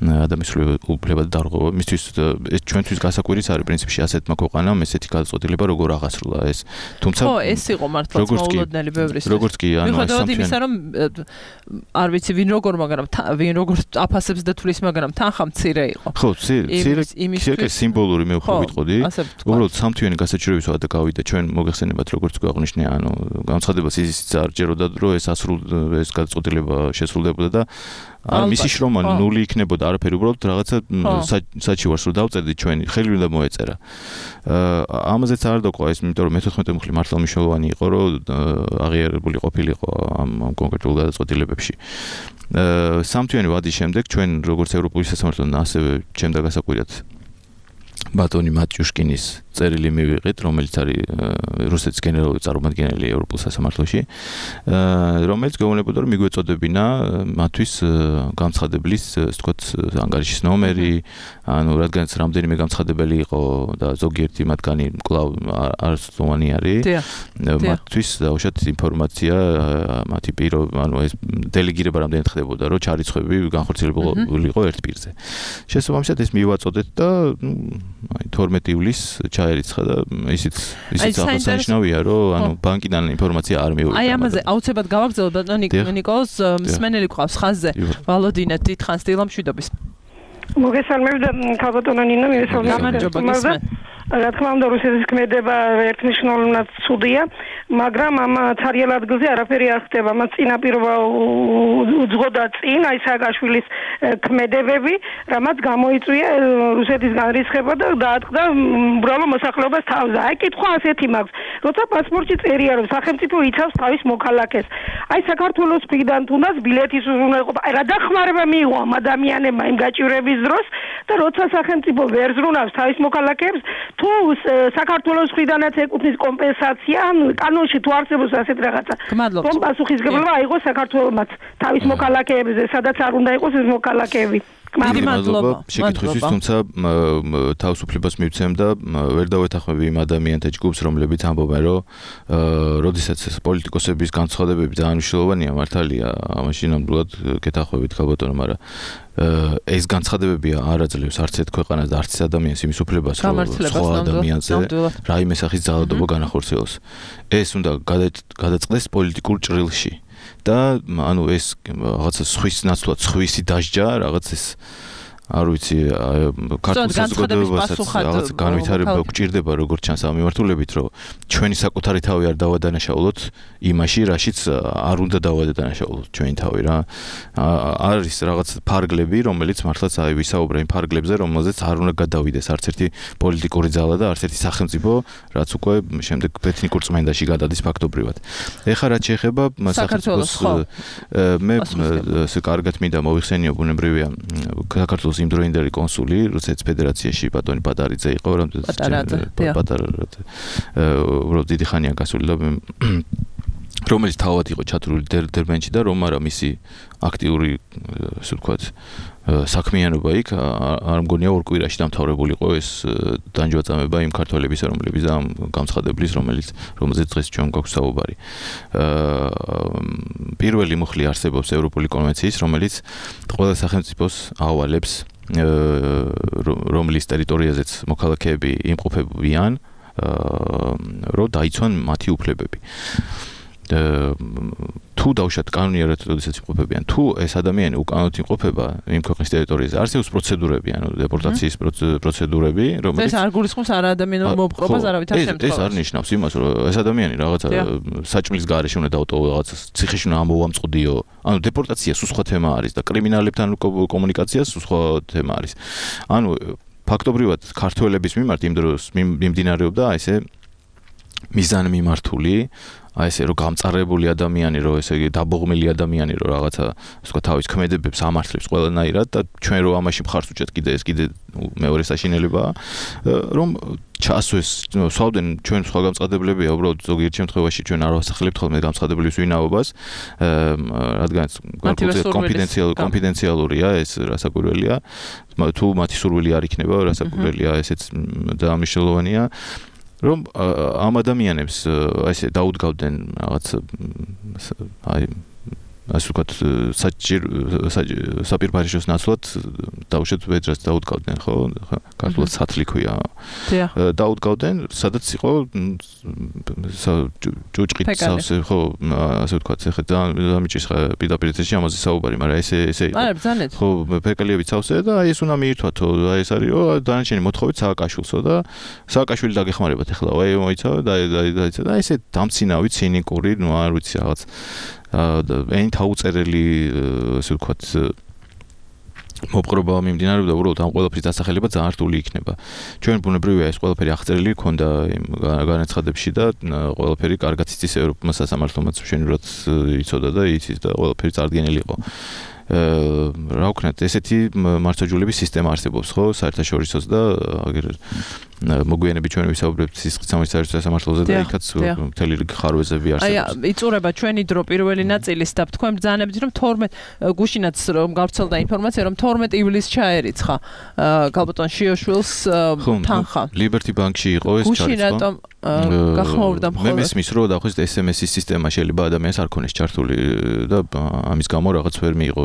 ადამიანის უფლებად დარღვევა. მისთვის ჩვენთვის გასაკვირის არის პრინციპში ასეთმა ქვეყანამ ესეთი გადაწყვეტილება როგორ აღასრულა ეს. თუმცა ხო, ეს იყო მართლაც მოულოდნელი ბევრისთვის. როგორც კი, ანუ მიუხედავად იმისა, რომ არ ვიცი ვინ როგორ, მაგრამ ვინ როგორ აფასებს და თulis, მაგრამ თანხა მცირე იყო. ხო, მცირე სიმბოლური მე უფრო ვიტყოდი. უბრალოდ სამთვიანი გასაჩივრების ვადა გავიდა ჩვენ მოგეხსენებათ როგორც გვაღვნიშნე, ანუ განცხადებას ისიც არ ჯეროდა, რომ ეს ეს გადაწყვეტილება შესრულდებოდა და მისი შრომა ნული იქნებოდა, არაფერი, უბრალოდ რაღაცა საჩივარს რომ დავწერდი ჩვენი, ხელი უნდა მოეწერა. ამაზეც არ დაკვა ეს, იმიტომ რომ მე-14 მუხლი მართლა მნიშვნელოვანი იყო, რომ აღიარებული ყოფილიყო ამ კონკრეტულ გადაწყვეტილებებში. სამთვიანი ვადის შემდეგ ჩვენ როგორც ევროპული სასამართლოდან ასევე ჩემდა გასაკვირად ბატონი მატიუშკინის წერილი მივიღეთ, რომელიც არის რუსეთის გენერალური წარმომადგენელი ევროპულ სასამართლოში, რომელიც გვეუბნებოდა, რომ მიგვეწოდებინა მათთვის განცხადებლის, ასე ვთქვათ, ანგარიშის ნომერი, ანუ რადგანაც რამდენიმე განცხადებელი იყო და ზოგიერთი მათგანი კვლავ არასწლოვანი არის, მათთვის დაუშვათ ინფორმაცია, მათი პირო, ანუ ეს დელეგირება რამდენად ხდებოდა, რომ ჩარიცხვები განხორციელებული იყო ერთ პირზე. შესაბამისად ეს მივაწოდეთ და აი 12 ივლისს ჩაერიცხა და ისიც აღსანიშნავია, რომ ანუ ბანკიდან ინფორმაცია არ მივიღეთ. აი ამაზე აუცილებლად გავაგრძელოთ ბატონი ნიკოლოზ, მსმენელი გვყავს ხაზზე. ვალოდინე, დიდხანს დილამშვიდობის. მოგესალმებით ქალბატონო ნინო, მივესალმებით. რა თქმა უნდა, რუსეთის ქმედება ერთნიშნულოვნად ცუდია, მაგრამ ამ ცარიელ ადგილზე არაფერი არ ხდება. მას წინაპირობა უძღოდა წინ აი სააკაშვილის ქმედებები, რამაც გამოიწვია რუსეთისგან რისხება და დაატყდა უბრალო მოსახლეობას თავზე. აი კითხვა ასეთი მაქვს, როცა პასპორტში წერია, რომ სახელმწიფო იცავს თავის მოქალაქეს. აი საქართველოს მხრიდან თუნდაც ბილეთის უზრუნველყოფა, აი რა დახმარება მიიღო ამ ადამიანებმა იმ გაჭირვების დროს და როცა სახელმწიფო ვერ ზრუნავს თავის მოქალაქეებს, თუ საქართველოს მხრიდანაც ეკუთვნის კომპენსაცია, კანონში თუ არსებობს ასეთ რაღაცა. რომ პასუხისგებლობა აიღოს საქართველოს თავის მოქალაქეებზე, სადაც არ უნდა იყოს ეს მოქალაქეები. დიდი მადლობა. შეკითხვისთვის, თუმცა თავისუფლებას მივცემ და ვერ დავეთანხმები იმ ადამიანთა ჯგუფს, რომლებიც ამბობენ, რომ როდესაც პოლიტიკოსების განცხადებები ძალიან მნიშვნელოვანია, მართალია, ამაში ნამდვილად გეთანხმებით ქალბატონო, მაგრამ ეს განცხადებებია არ აძლევს არც ერთ ქვეყანას და არც ერთ ადამიანს იმის უფლებას, რომ სხვა ადამიანზე რაიმე სახის ძალადობა განახორციელოს. ეს უნდა გადაწყდეს პოლიტიკურ ჭრილში. და ანუ ეს რაღაცა სხვის ნაცვლად სხვისი დასჯა რაღაც ეს არ ვიცი ქართულ საზოგადოებასაც რაღაც განვითარება გვჭირდება როგორც ჩანს ამ მიმართულებით რომ ჩვენი საკუთარი თავი არ დავადანაშაულოთ იმაში რაშიც არ უნდა დავადანაშაულოთ ჩვენი თავი რა არის რაღაც ფარგლები რომელიც მართლაც აი ვისაუბრე იმ ფარგლებზე რომელზეც არ უნდა გადავიდეს არც ერთი პოლიტიკური ძალა და არც ერთი სახელმწიფო რაც უკვე შემდეგ ეთნიკურ წმენდაში გადადის ფაქტობრივად ეხლა რაც შეეხება სახელმწიფოს მე კარგად მინდა მოვიხსენიო ბუნებრივია საქართველოს იმდროინდელი კონსული რუსეთის ფედერაციაში ბატონი პატარიძე იყო უბრალოდ დიდი ხანია გასული და რომელიც თავად იყო ჩათვლილი დერბენში და რომ არა მისი აქტიური ასე ვთქვათ საქმიანობა იქ არ მგონია ორ კვირაში დამთავრებული იყო ეს დანჯვაწამება იმ ქართველებისა რომლებიც ამ გამცხადებლის რომელზეც დღეს ჩვენ გვაქვს საუბარი პირველი მუხლი არსებობს ევროპული კონვენციის რომელიც ყველა სახელმწიფოს ავალებს რომლის ტერიტორიაზეც მოქალაქეები იმყოფებიან რომ დაიცვან მათი უფლებები თუ დავშათ კანონიერად როდესაც იმყოფებიან თუ ეს ადამიანი უკანონოდ იმყოფება იმ ქვეყნის ტერიტორიაზე არსებობს პროცედურები ანუ დეპორტაციის პროცედურები რომელიც ეს არ გულისხმობს არა ადამიანურ მოპყრობას არავითარ შემთხვევაში ეს არ ნიშნავს იმას რომ ეს ადამიანი რაღაცა საჭმლის გარეშე უნდა დაუტოვო რაღაცა ციხეში უნდა ამოვამწყდიო ანუ დეპორტაცია სულ სხვა თემა არის და კრიმინალებთან კომუნიკაცია სულ სხვა თემა არის ანუ ფაქტობრივად ქართველების მიმართ იმ დროს მიმდინარეობდა ესე მიზანმიმართული აი ესე რომ გამწარებული ადამიანი რომ ესე იგი დაბოღმილი ადამიანი რომ რაღაცა სხვა თავის ქმედებებს ამართლებს ყველანაირად და ჩვენ რომ ამაში მხარს უჭერთ კიდე მეორე საშინელებაა რომ ჩასვეს სვავდნენ ჩვენ სხვა გამწყდებლებია უბრალოდ ზოგიერთ შემთხვევაში ჩვენ არ ვასახელებთ ხოლმე გამწყდებლების ვინაობას რადგანაც კონფიდენციალურია ეს რასაკვირველია თუ მათი სურვილი არ იქნება რასაკვირველია ესეც დაამშელოვანია რომ ამ ადამიანებს ესე დაუდგავდნენ რაღაც აი ასე ვთქვათ საპირფარეშოს ნაცვლად დაუშვათ ვედრას დაუდგავდნენ ხო ქართულად სათლი ქვია დაუდგავდნენ სადაც იყო ჭუჭყით სავსე ხო ასე ვთქვათ ეხლა დამიჭირს პირდაპირ ეთერში ამაზე საუბარი მაგრამ ესე ხო ფეკალიებით სავსე და აი ეს უნდა მიირთვათო აი ეს არისო დანარჩენი მოთხოვით სააკაშვილსო და სააკაშვილი დაგეხმარებათ ეხლა აი მოიცავ და ესე დამცინავი ცინიკური ნუ არ ვიცი რაღაც ენით აუწერელი ასე ვთქვათ მოპყრობა მიმდინარეობდა უბრალოდ ამ ყველაფრის დასახელება ძალიან რთული იქნება. ჩვენ ბუნებრივია ეს ყველაფერი აღწერილი ქონდა იმ განაცხადებში და ყველაფერი კარგად იცის ევროპის სასამართლომაც მშვენივრად იცოდა და იცის და ყველაფერი წარდგენილი იყო. რა ვქნათ, ესეთი მართლმსაჯულების სისტემა არსებობს, ხო, საერთაშორისოც და აგერ მოგვიანებით ჩვენ ვისაუბრებთ სისხლის სამართლოზე და იქაც მთელი რიგი ხარვეზები არსებობს. აი, იწურება ჩვენი დრო პირველი ნაწილის და თქვენ ბრძანებით რომ 12 გუშინაც რომ გავრცელდა ინფორმაცია რომ 12 ივლისს ჩაერიცხა ქალბატონ შიოშვილს თანხა. Liberty Bank-ში იყო ეს ჩარიცხვა. გუშინ რატომ გახმოვდა მხოლოდ მე მესმის რომ დაახლოებით SMS-ის სისტემა შეიძლება ადამიანს არ ქონდეს ჩართული და ამის გამო რაღაც ვერ მიიღო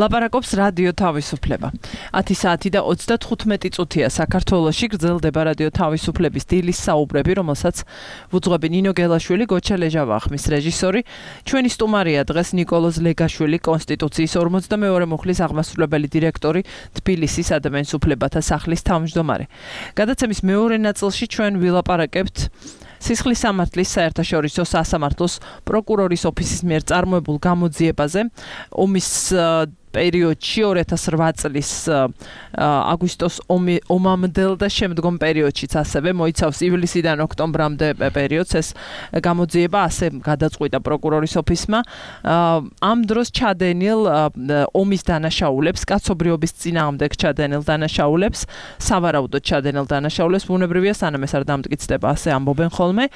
ლაპარაკობს რადიო თავისუფლება. 10 საათი და 35 წუთია საქართველოში გრძელდება რადიო თავისუფლების დილის საუბრები, რომელსაც ვუძღვები ნინო გელაშვილი, გოჩა ლეჟავახმის რეჟისორი. ჩვენი სტუმარია დღეს ნიკოლოზ ლეგაშვილი, კონსტიტუციის 42 მუხლის აღმასრულებელი დირექტორი, თბილისის ადამიანის უფლებათა სახლის თავმჯდომარე. გადაცემის მეორე ნაწილში ჩვენ ვილაპარაკებთ სისხლის სამართლის საერთაშორისო სასამართლოს პროკურორის ოფისის მიერ წარმოებულ გამოძიებაზე, ომის პერიოდში 2008 წლის აგვისტოს ომამდელ და შემდგომ პერიოდშიც ასევე მოიცავს ივლისიდან ოქტომბრამდე პერიოდს ეს გამოძიება ასე გადაწყვიტა პროკურორის ოფისმა ამ დროს ჩადენილ ომის დანაშაულებს კაცობრიობის წინააღმდეგ ჩადენილ დანაშაულებს სავარაუდოდ ჩადენილ დანაშაულებს ბუნებრივია სანამ ეს არ დამტკიცდება ასე ამბობენ ხოლმე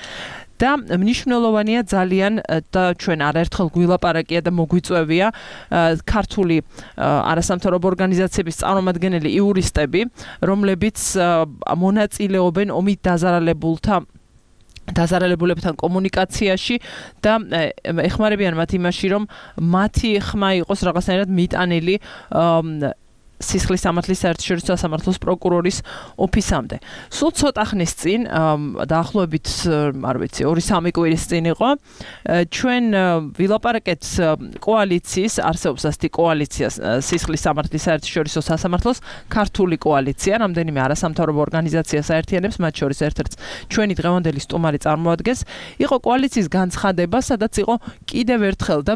და მნიშვნელოვანია ძალიან და ჩვენ არაერთხელ გვილაპარაკია და მოგვიწევია ქართული არასამთავრობო ორგანიზაციების წარმომადგენელი იურისტები, რომლებიც მონაწილეობენ ომით დაზარალებულებთან კომუნიკაციაში და ეხმარებიან მათ იმაში, რომ მათი ხმა იყოს რაღაცნაირად მიტანილი სისხლის სამართლის საერთაშორისო სასამართლოს პროკურორის ოფისამდე. სულ ცოტა ხნის წინ, დაახლოებით, არ ვიცი, 2-3 კვირის წინ იყო, ჩვენ ვილაპარაკეთ კოალიციის, არსებობს ასეთი კოალიცია სისხლის სამართლის საერთაშორისო სასამართლოს, ქართული კოალიცია, რამდენიმე არასამთავრობო ორგანიზაციას აერთიანებს, მათ შორის ერთ-ერთს ჩვენი დღევანდელი სტუმარი წარმოადგენს. იყო კოალიციის განცხადება, სადაც იყო კიდევ ერთხელ და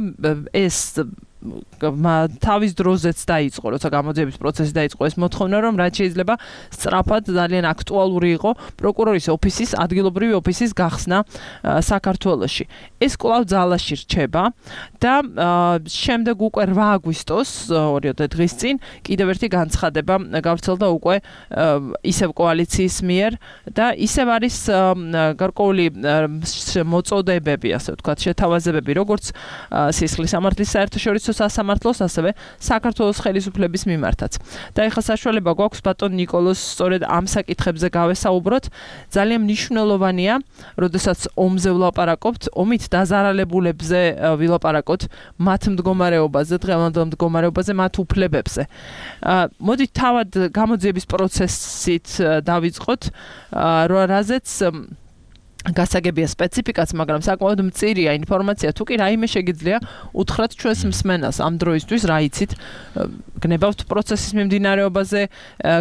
ეს თავის დროზეც დაიწყო, როცა გამოძიების პროცესი დაიწყო ეს მოთხოვნა, რომ რაც შეიძლება სწრაფად ძალიან აქტუალური იყო პროკურორის ოფისის, ადგილობრივი ოფისის გახსნა საქართველოში. ეს კვლავ ძალაში რჩება და შემდეგ უკვე 8 აგვისტოს, 2 დღის წინ, კიდევ ერთი განცხადება გავრცელდა უკვე ისევ კოალიციის მიერ და ისევ არის გარკვეული მოწოდებები, ასე ვთქვათ, შეთავაზებები, როგორც სისხლის სამართლის საერთაშორისო სასამართლოს, ასევე საქართველოს ხელისუფლების მიმართაც. და ეხლა საშუალება გვაქვს ბატონ ნიკოლოზ სწორედ ამ საკითხებზე გავესაუბროთ. ძალიან მნიშვნელოვანია, როდესაც ომზე ვლაპარაკობთ, ომით დაზარალებულებზე ვილაპარაკოთ, მათ მდგომარეობაზე, დღევანდელ მდგომარეობაზე, მათ უფლებებზე. მოდით თავად გამოძიების პროცესით დავიწყოთ, რაზეც გასაგებია სპეციფიკაც, მაგრამ საკმაოდ მწირია ინფორმაცია. თუ კი რაიმე შეგიძლია უთხრათ ჩვენს მსმენელს ამ დროისთვის, რა იცით, გნებავთ პროცესის მიმდინარეობაზე,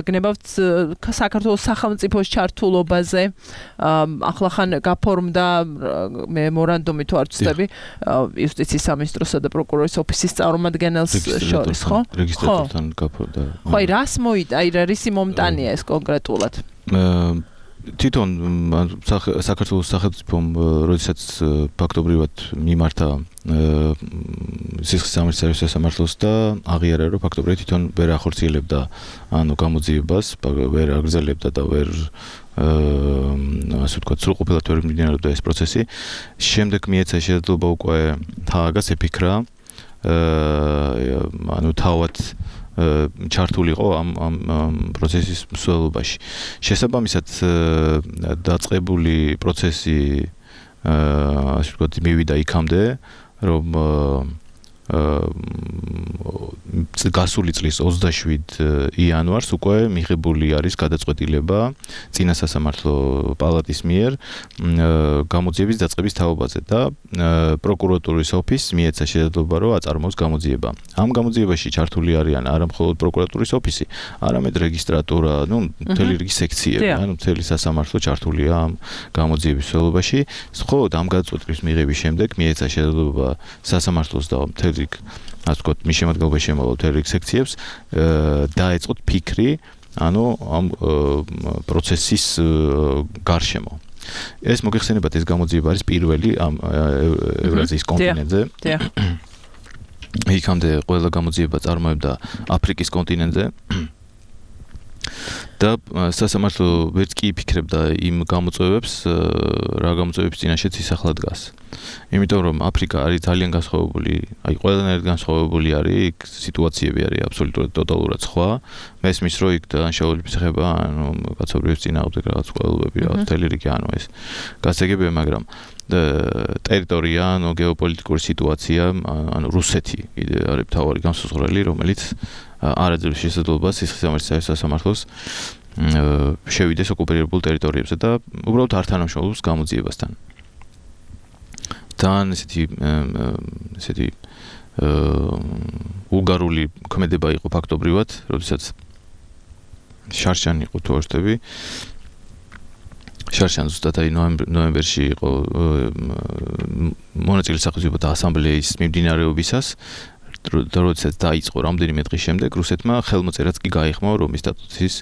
გნებავთ საქართველოს სახელმწიფოს ჩართულობაზე, ახლახან გაფორმდა მემორანდუმი თუ არ ვცდები, იუსტიციის სამინისტროსა და პროკურორის ოფისის წარმომადგენელს შორის, ხო? რეგისტრატორთან გაფორმდა. ხო, რას მოიტა, რისი მომტანია ეს კონკრეტულად? თვითონ საქართველოს სახელმწიფომ, როდესაც ფაქტობრივად მიმართა სისხლის სამართლის სასამართლოს და აღიარა, რომ ფაქტობრივად თვითონ ვერ ახორციელებდა გამოძიებას, ვერ აგრძელებდა და ვერ ასე ვთქვათ, სრულყოფილად ვერ მიმდინარეობდა ეს პროცესი. შემდეგ მიეცა შესაძლებლობა უკვე თააგას ეფიქრა, თავად ჩართულიყო ამ პროცესის მსვლელობაში. შესაბამისად დაწყებული პროცესი ასე ვთქვათ, მივიდა იქამდე, რომ გასული წლის 27 იანვარს უკვე მიღებული არის გადაწყვეტილება წინა სასამართლო პალატის მიერ გამოძიების დაწყების თაობაზე და პროკურატურის ოფისს მიეცა შესაძლებლობა, რომ აწარმოოს გამოძიება. ამ გამოძიებაში ჩართული არიან არა მხოლოდ პროკურატურის ოფისი, არამედ რეგისტრატურა, მთელი რიგი სექციები, მთელი სასამართლო ჩართულია ამ გამოძიების მსვლელობაში. მხოლოდ ამ გადაწყვეტილის მიღების შემდეგ მიეცა შესაძლებლობა სასამართლოს და მთელი ასე ვთქვათ, მის შემადგენლობაში შემოვალ მთელ რიგ სექციებს დაეწყოთ ფიქრი, ამ პროცესის გარშემო. ეს მოგეხსენებათ, ეს გამოძიება არის პირველი ამ ევრაზიის კონტინენტზე. იქამდე ყველა გამოძიება წარმოებდა აფრიკის კონტინენტზე. და სასამართლო ვერც კი იფიქრებდა იმ გამოწვევებს, რა გამოწვევების წინაშეც ისახლა დგას. იმიტომ რომ აფრიკა არის ძალიან განსხვავებული, ყველანაირად განსხვავებული არის, იქ სიტუაციები არის აბსოლუტურად ტოტალურად სხვა. მესმის რომ იქ დანაშაულების ეხება, კაცობრიობის წინააღმდეგ რაღაც ყველობები, მთელი რიგი ეს გასაგებია, მაგრამ ტერიტორია, ანუ გეოპოლიტიკური სიტუაცია, ანუ რუსეთი კიდე არის მთავარი განსაზღვრელი, რომელიც არ აძლევს შესაძლებლობას სისხლისამართლის სასამართლოს შევიდეს ოკუპირებულ ტერიტორიებზე და უბრალოდ არ თანამშრომლობს გამოძიებასთან. თან ესეთი უგარული ქმედება იყო ფაქტობრივად, როდესაც შარშანი იყო თუ არ ვშტები. შარშან ზუსტად აი ნოემბერში იყო მონაწილე სახელმწიფოთა ასამბლეის მიმდინარეობისას როდესაც დაიწყო რამდენიმე დღის შემდეგ რუსეთმა ხელმოწერაც კი გაიხმო რომის სტატუსის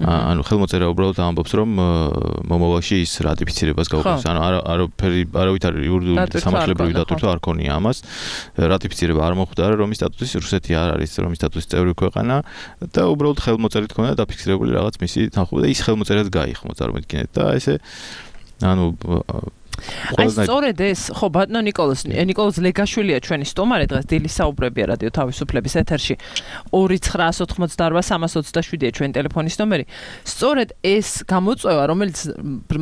ანუ ხელმოწერა უბრალოდ ამბობს რომ მომავალში ის რატიფიცირებას გაუქმებს ანუ არავით არ იურიდიული სამართლებრივი დატვირთვა არ ქონია ამას რატიფიცირება არ მოხდა რომის სტატუსის რუსეთი არ არის რომის სტატუსის წევრი ქვეყანა და უბრალოდ ხელმოწერით ქონდა დაფიქსირებული რაღაც მისი თანხმობა და ის ხელმოწერაც გაიხმო წარმოიდგინეთ და ესე ანუ აი სწორედ ეს ხო ბატონო ნიკოლოზ ლეგაშვილია ჩვენი სტუმარი დღეს დილის საუბრებია რადიო თავისუფლების ეთერში 2988327-ია ჩვენი ტელეფონის ნომერი სწორედ ეს გამოწვევა რომელიც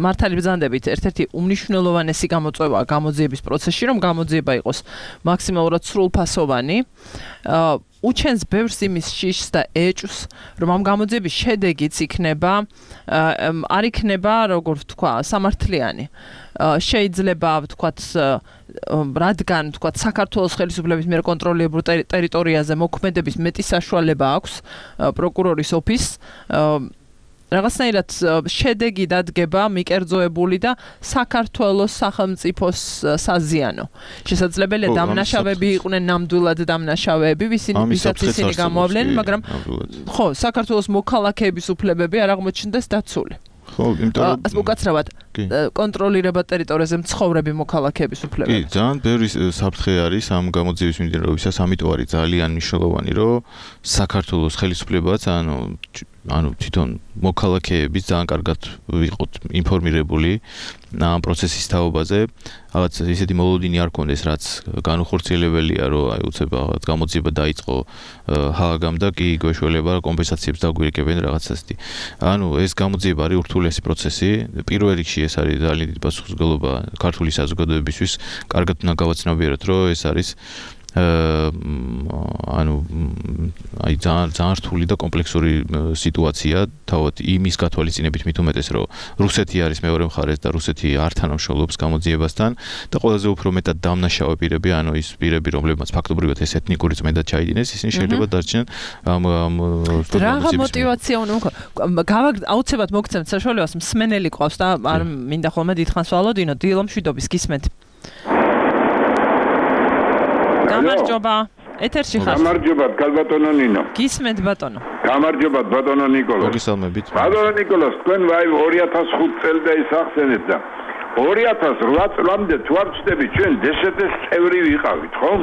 მართალი ბრძანდებით ერთ-ერთი უმნიშვნელოვანესი გამოწვევაა გამოძიების პროცესში რომ გამოძიება იყოს მაქსიმალურად სრულფასოვანი უჩენს ბევრს იმის შიშს და ეჭვს რომ ამ გამოძიების შედეგიც იქნება არ იქნება როგორ ვთქვა სამართლიანი შეიძლება ვთქვათ რადგან ვთქვათ საქართველოს ხელისუფლების მიერ კონტროლირებულ ტერიტორიაზე მოქმედების მეტი საშუალება აქვს პროკურორის ოფისს რაღაცნაირად შედეგი დადგება მიკერძოებული და საქართველოს სახელმწიფოს საზიანო. შესაძლებელია დამნაშავეები იყვნენ ნამდვილად დამნაშავეები, ვისაც ისინი გამოავლენენ, მაგრამ ხო, საქართველოს მოქალაქეების უფლებები არ აღმოჩნდეს დაცული. ხო, იმიტომ რომ უკაცრავად კონტროლირება ტერიტორიაზე მცხოვრები მოქალაქეების უფლებები. კი, ძალიან ბევრი საფრთხე არის ამ გამოძიების მიმდინარეობისას, ამიტომ არის ძალიან მნიშვნელოვანი, რომ საქართველოს ხელისუფლებაც ანუ თვითონ მოქალაქეების ძალიან კარგად ვიყოთ ინფორმირებული ამ პროცესის თაობაზე, რაღაც ისეთი მოლოდინი არ კონდეს, რაც განუხორციელებელია, რომ აი უცებ რაღაც გამოძიება დაიწყო ჰააგამ და კი გვეშველება კომპენსაციებს დაგვირეკებენ რაღაც ასეთი. ანუ ეს გამოძიება არის ურთულესი პროცესი, პირველ რიგში ეს არის ძალიან დიდი პასუხისმგებლობა ქართული საზოგადოებისთვის, კარგად უნდა გავაცნობიეროთ, რომ ეს არის ანუ აი ძალიან რთული და კომპლექსური სიტუაცია თავად იმის გათვალისწინებით მით უმეტეს რომ რუსეთი არის მეორე მხარეს და რუსეთი არ თანამშრომლობს გამოძიებასთან და ყველაზე უფრო მეტად დამნაშავე პირები ანუ ის პირები რომლებმაც ფაქტობრივად ეს ეთნიკური წმენდა ჩაიდინეს ისინი შეიძლება დარჩნენ რა мотиваცია უნდა აუცილებლად მოგცემთ საშუალებას მსმენელი ყავს და არ მინდა ხოლმე დიდხანს ვალოდინო დილო მშვიდობის გისმენთ გამარჯობა. ეთერში ხარ. გამარჯობა, კალბატონო ნინო. გისმენთ ბატონო. გამარჯობა, ბატონო ნიკოლოზ. მოგესალმებით. ბატონო ნიკოლოზ, თქვენ 2005 წელს ისახსენეთ და 2008 წლამდე თუ არ ვწდები ჩვენ დსთ-ს წევრი ვიყავით, ხო?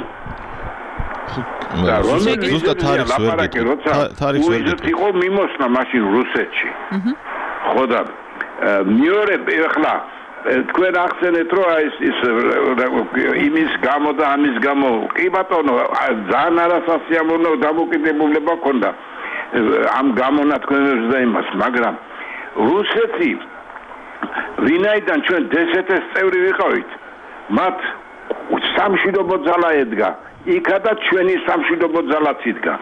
ზუსტად თარიღს ვერ გეტყვით. თარიღს ვერ გეტყვით. იყო მიმოსვლა მაშინ რუსეთში. ხო და მეორე ახლა თქვენ ახსენეთ რომ ის იმის გამო და ამის გამო კი ბატონო ძალიან არასასიამოვნო დამოკიდებულება ქონდა ამ გამონათქვამებს და იმას მაგრამ რუსეთი ვინაიდან ჩვენ დსთ-ს წევრი ვიყავით მათ სამშვიდობო ძალა ედგა იქადა ჩვენი სამშვიდობო ძალაც იდგა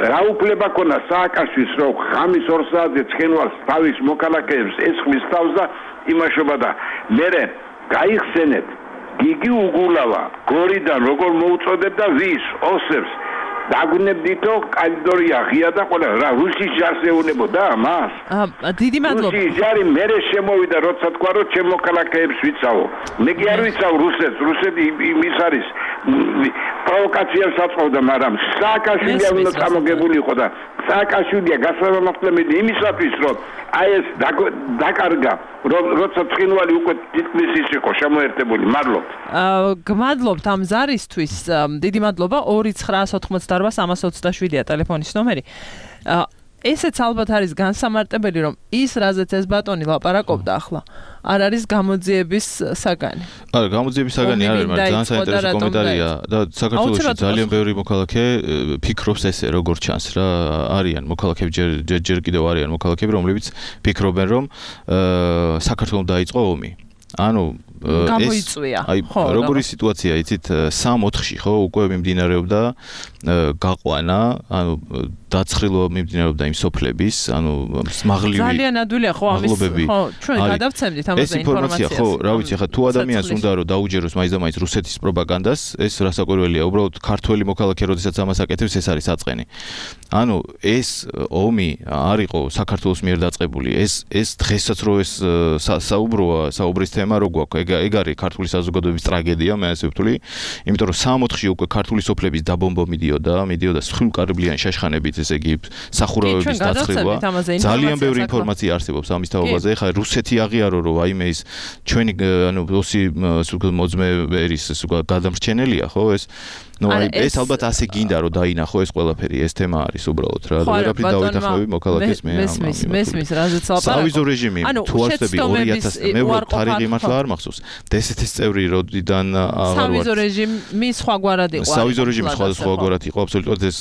რა უფლება ქონდა სააკაშვილს რომ ღამის 2 საათზე ცხენვალს თავის მოქალაქეებს ესხმის თავს და იმაშობა და მერე გაიხსენეთ გიგი უგულავა გორიდან როგორ მოუწოდებდა ვის ოსებს დაგვნებდითო კალიდორია ღია და ყველა რა რუსის ჯარს ეუნებოდა ამას დიდი მადლობა რუსის ჯარი მერე შემოვიდა როცა თქვა რომ ჩემ მოქალაქეებს ვიცავო მე კი არ ვიცავ რუსეთს რუსეთი იმის არის პროვოკაციებს აწყობდა მაგრამ სააკაშვილი უნდა წამოგებული იყო და სააკაშვილია გასამართლებელი იმისათვის რომ აი ეს დაკარგა როცა ცხინვალი უკვე თითქმის ის იყო შემოერთებული მადლობთ გმადლობთ ამ ზარისთვის დიდი მადლობა 2988327-ია ტელეფონის ნომერი ესეც ალბათ არის განსამარტებელი რომ ის რაზეც ეს ბატონი ლაპარაკობდა ახლა არ არის გამოძიების საგანი. არა, გამოძიების საგანი არ არის, მაგრამ ძალიან საინტერესო კომენტარია და საქართველოში ძალიან ბევრი მოქალაქე ფიქრობს ესე, როგორ ჩანს რა, არიან მოქალაქეები ჯერ კიდევ არიან მოქალაქეები, რომლებიც ფიქრობენ, რომ საქართველოს დაიწყო ომი. ანუ გამოიწვია. ხო, როგორი სიტუაცია, იცით, 3-4-ში ხო, უკვე მიმდინარეობდა გაყვანა, ანუ დაცხრილობა მიმდინარეობდა იმ სოფლების, ანუ მაღლივი ძალიან ადვილია ხო ამის ხო ჩვენ გადავცემდით ამაზე ინფორმაციას. ხო, რა ვიცი, ხა თუ ადამიანს უნდა რომ დაუჯეროს მაინც რუსეთის პროპაგანდას, ეს რასაკვირველია, უბრალოდ ქართველი მოქალაქე როდესაც ამას აკეთებს, ეს არის საწყენი. ანუ ეს ომი არ იყო საქართველოს მიერ დაწყებული. ეს დღესაც რო ეს საუბრის თემა რო გვაქვს, ეგ არის ქართული საზოგადოების ტრაგედია, მე ასე ვთვლი, იმიტომ რომ 3-4-ში უკვე ქართული სოფლების დაბომბვა მიდიოდა სხვილმკარბლიანი შაშხანებით, ესე იგი სახურავების დაცხრილვა. ძალიან ბევრი ინფორმაცია არსებობს ამის თაობაზე. ხა რუსეთი აღიარო რომ აიმე ის ჩვენი ანუ ოსი მოძმე ერის გადამრჩენელია, ხო ეს ნუ ეს ალბათ ასე გინდა რომ დაინახო ეს ყველაფერი, ეს თემა არის უბრალოდ რა. ვერაფრით დავეთანხმები მოქალაქეს მე. მესმის, რაზეც ლაპარაკობ. სავიზო რეჟიმი თუ არსები 2000 მე თარიღი მართლა არ მახსოვს. დსთ-ის წევრი როდიდან აღარ ვარ. სავიზო რეჟიმი სხვაგვარად იყო. სავიზო რეჟიმი სხვაგვარად იყო, აბსოლუტურად ეს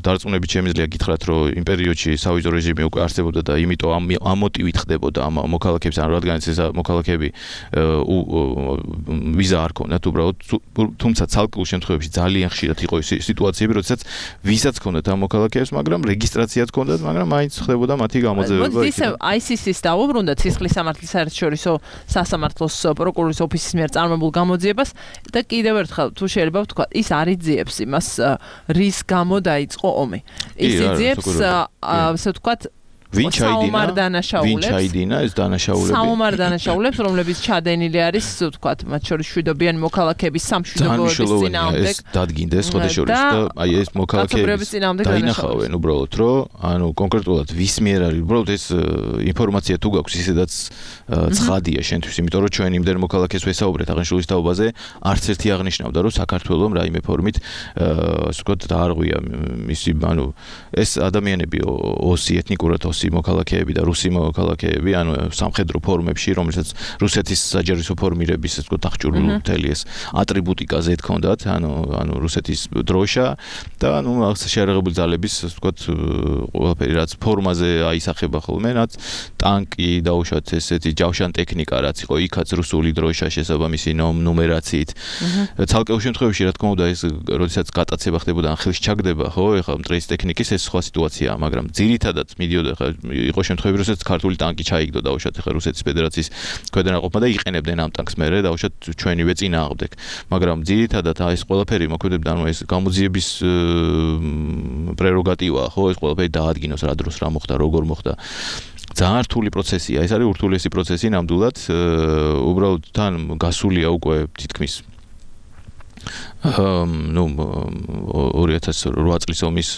დარწმუნებით შემიძლია გითხრათ, რომ იმ პერიოდში სავიზო რეჟიმი უკვე არსებობდა და იმიტომ ამ მოტივით ხდებოდა ამ მოქალაქეებს, ან რადგანაც ეს მოქალაქეები ვიზა არ ქონდათ უბრალოდ, თუმცა ცალკეულ შემთხვევებში ძალიან ხშირად იყო ის სიტუაციები, როდესაც ვიზაც ქონდათ ამ მოქალაქეებს, მაგრამ რეგისტრაციაც ქონდათ, მაგრამ მაინც ხდებოდა მათი გამოძევება. მოდი ისევ ICC-ს დავუბრუნდეთ, სისხლის სამართლის საერთაშორისო სასამართლოს პროკურორის ოფისის მიერ წარმოებულ გამოძიებას და კიდევ ერთხელ თუ შეიძლება ვთქვა, ის არ იძიებს იმას, რის გამო დაიწყო ომი. ის იძიებს ასე ვთქვათ ვინ ჩაიდინა ეს დანაშაულები? საომარ დანაშაულებს, რომლებიც ჩადენილი არის, ვთქვათ, მათ შორის შვიდობიანი მოქალაქეების სამშვიდობოების წინააღმდეგ. ეს დადგინდეს ხოდაშორის და აი ეს მოქალაქეების დაინახავენ უბრალოდ, რომ ანუ კონკრეტულად ვის მიერ არის, უბრალოდ ეს ინფორმაცია თუ გაქვს, ისედაც ცხადია შენთვის, იმიტომ რომ ჩვენ იმდენ მოქალაქეს ვესაუბრეთ აღნიშნულის თაობაზე, არც ერთი აღნიშნავდა, რომ საქართველოს რაიმე ფორმით ასე ვთქვათ დაარღვია მისი, ანუ ეს ადამიანები ოსი ეთნიკურად მოქალაქეები და რუსი მოქალაქეები, ანუ სამხედრო ფორმებში, რომელსაც რუსეთის საჯარო ფორმირების ასე ვთქვათ აღჭურვილი მთელი ეს ატრიბუტიკაზე თქონდათ, ანუ რუსეთის დროშა და ანუ შეერაღებული ძალების ასე ვთქვათ ყველაფერი რაც ფორმაზე აისახება ხოლმე, რაც ტანკი დაუშვათ ესეთი ჯავშან ტექნიკა რაც იყო, იქაც რუსული დროშა შესაბამისი ნუმერაციით. ცალკეულ შემთხვევაში რა თქმა უნდა ეს როდესაც გატაცება ხდებოდა ან ხელში ჩაგდება, ხო, ეხლა მტრის ტექნიკის ეს სხვა სიტუაციაა, მაგრამ ძირითადად მიდიოდა იყო შემთხვევები, როდესაც ქართული ტანკი ჩაიგდო დაუშვათ ახლა რუსეთის ფედერაციის ქვედანაყოფმა და იყენებდნენ ამ ტანკს მერე დაუშვათ ჩვენივე წინააღმდეგ. მაგრამ ძირითადად ეს ყველაფერი მოქმედებდა, ანუ ეს გამოძიების პრეროგატივაა, ხო, ეს ყველაფერი დაადგინოს რა დროს რა მოხდა, როგორ მოხდა. ძალიან რთული პროცესია, ეს არის ურთულესი პროცესი ნამდვილად, უბრალოდ თან გასულია უკვე თითქმის 2008 წლის ომის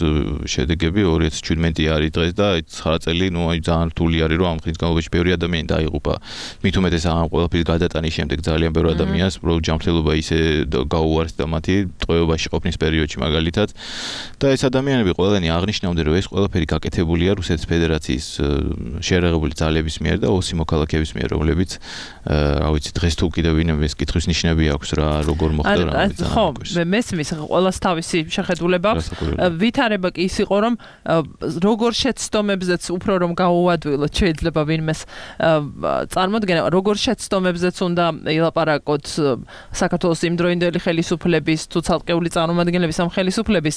შედეგები 2017 არის დღეს და 9 წელი, ძალიან რთული არის, რომ ამ ხნის განმავლობაში ბევრი ადამიანი დაიღუპა. მით უმეტეს ამ ყველაფრის გადატანის შემდეგ ძალიან ბევრი ადამიანს უბრალოდ ჯანმრთელობა ისე გაუარეს და მათი ტყვეობაში ყოფნის პერიოდში მაგალითად. და ეს ადამიანები ყველანი აღნიშნავდნენ, რომ ეს ყველაფერი გაკეთებულია რუსეთის ფედერაციის შეერაღებული ძალების მიერ და ოსი მოქალაქეების მიერ, რომლებიც რა ვიცი, დღეს თუ კიდევ ვინმე ეს კითხვის ნიშნები აქვს რა, როგორ მოხდა რა ვიცი. ხო, მესმის ყველას თავისი შეხედულება აქვს. ვითარება კი ის იყო, რომ როგორ შეცდომებზეც უფრო რომ გაუადვილოთ, შეიძლება ვინმეს წარმოდგენა, როგორ შეცდომებზეც უნდა ილაპარაკოთ საქართველოს იმდროინდელი ხელისუფლების თუ ცალკეული წარმომადგენლების ამ ხელისუფლების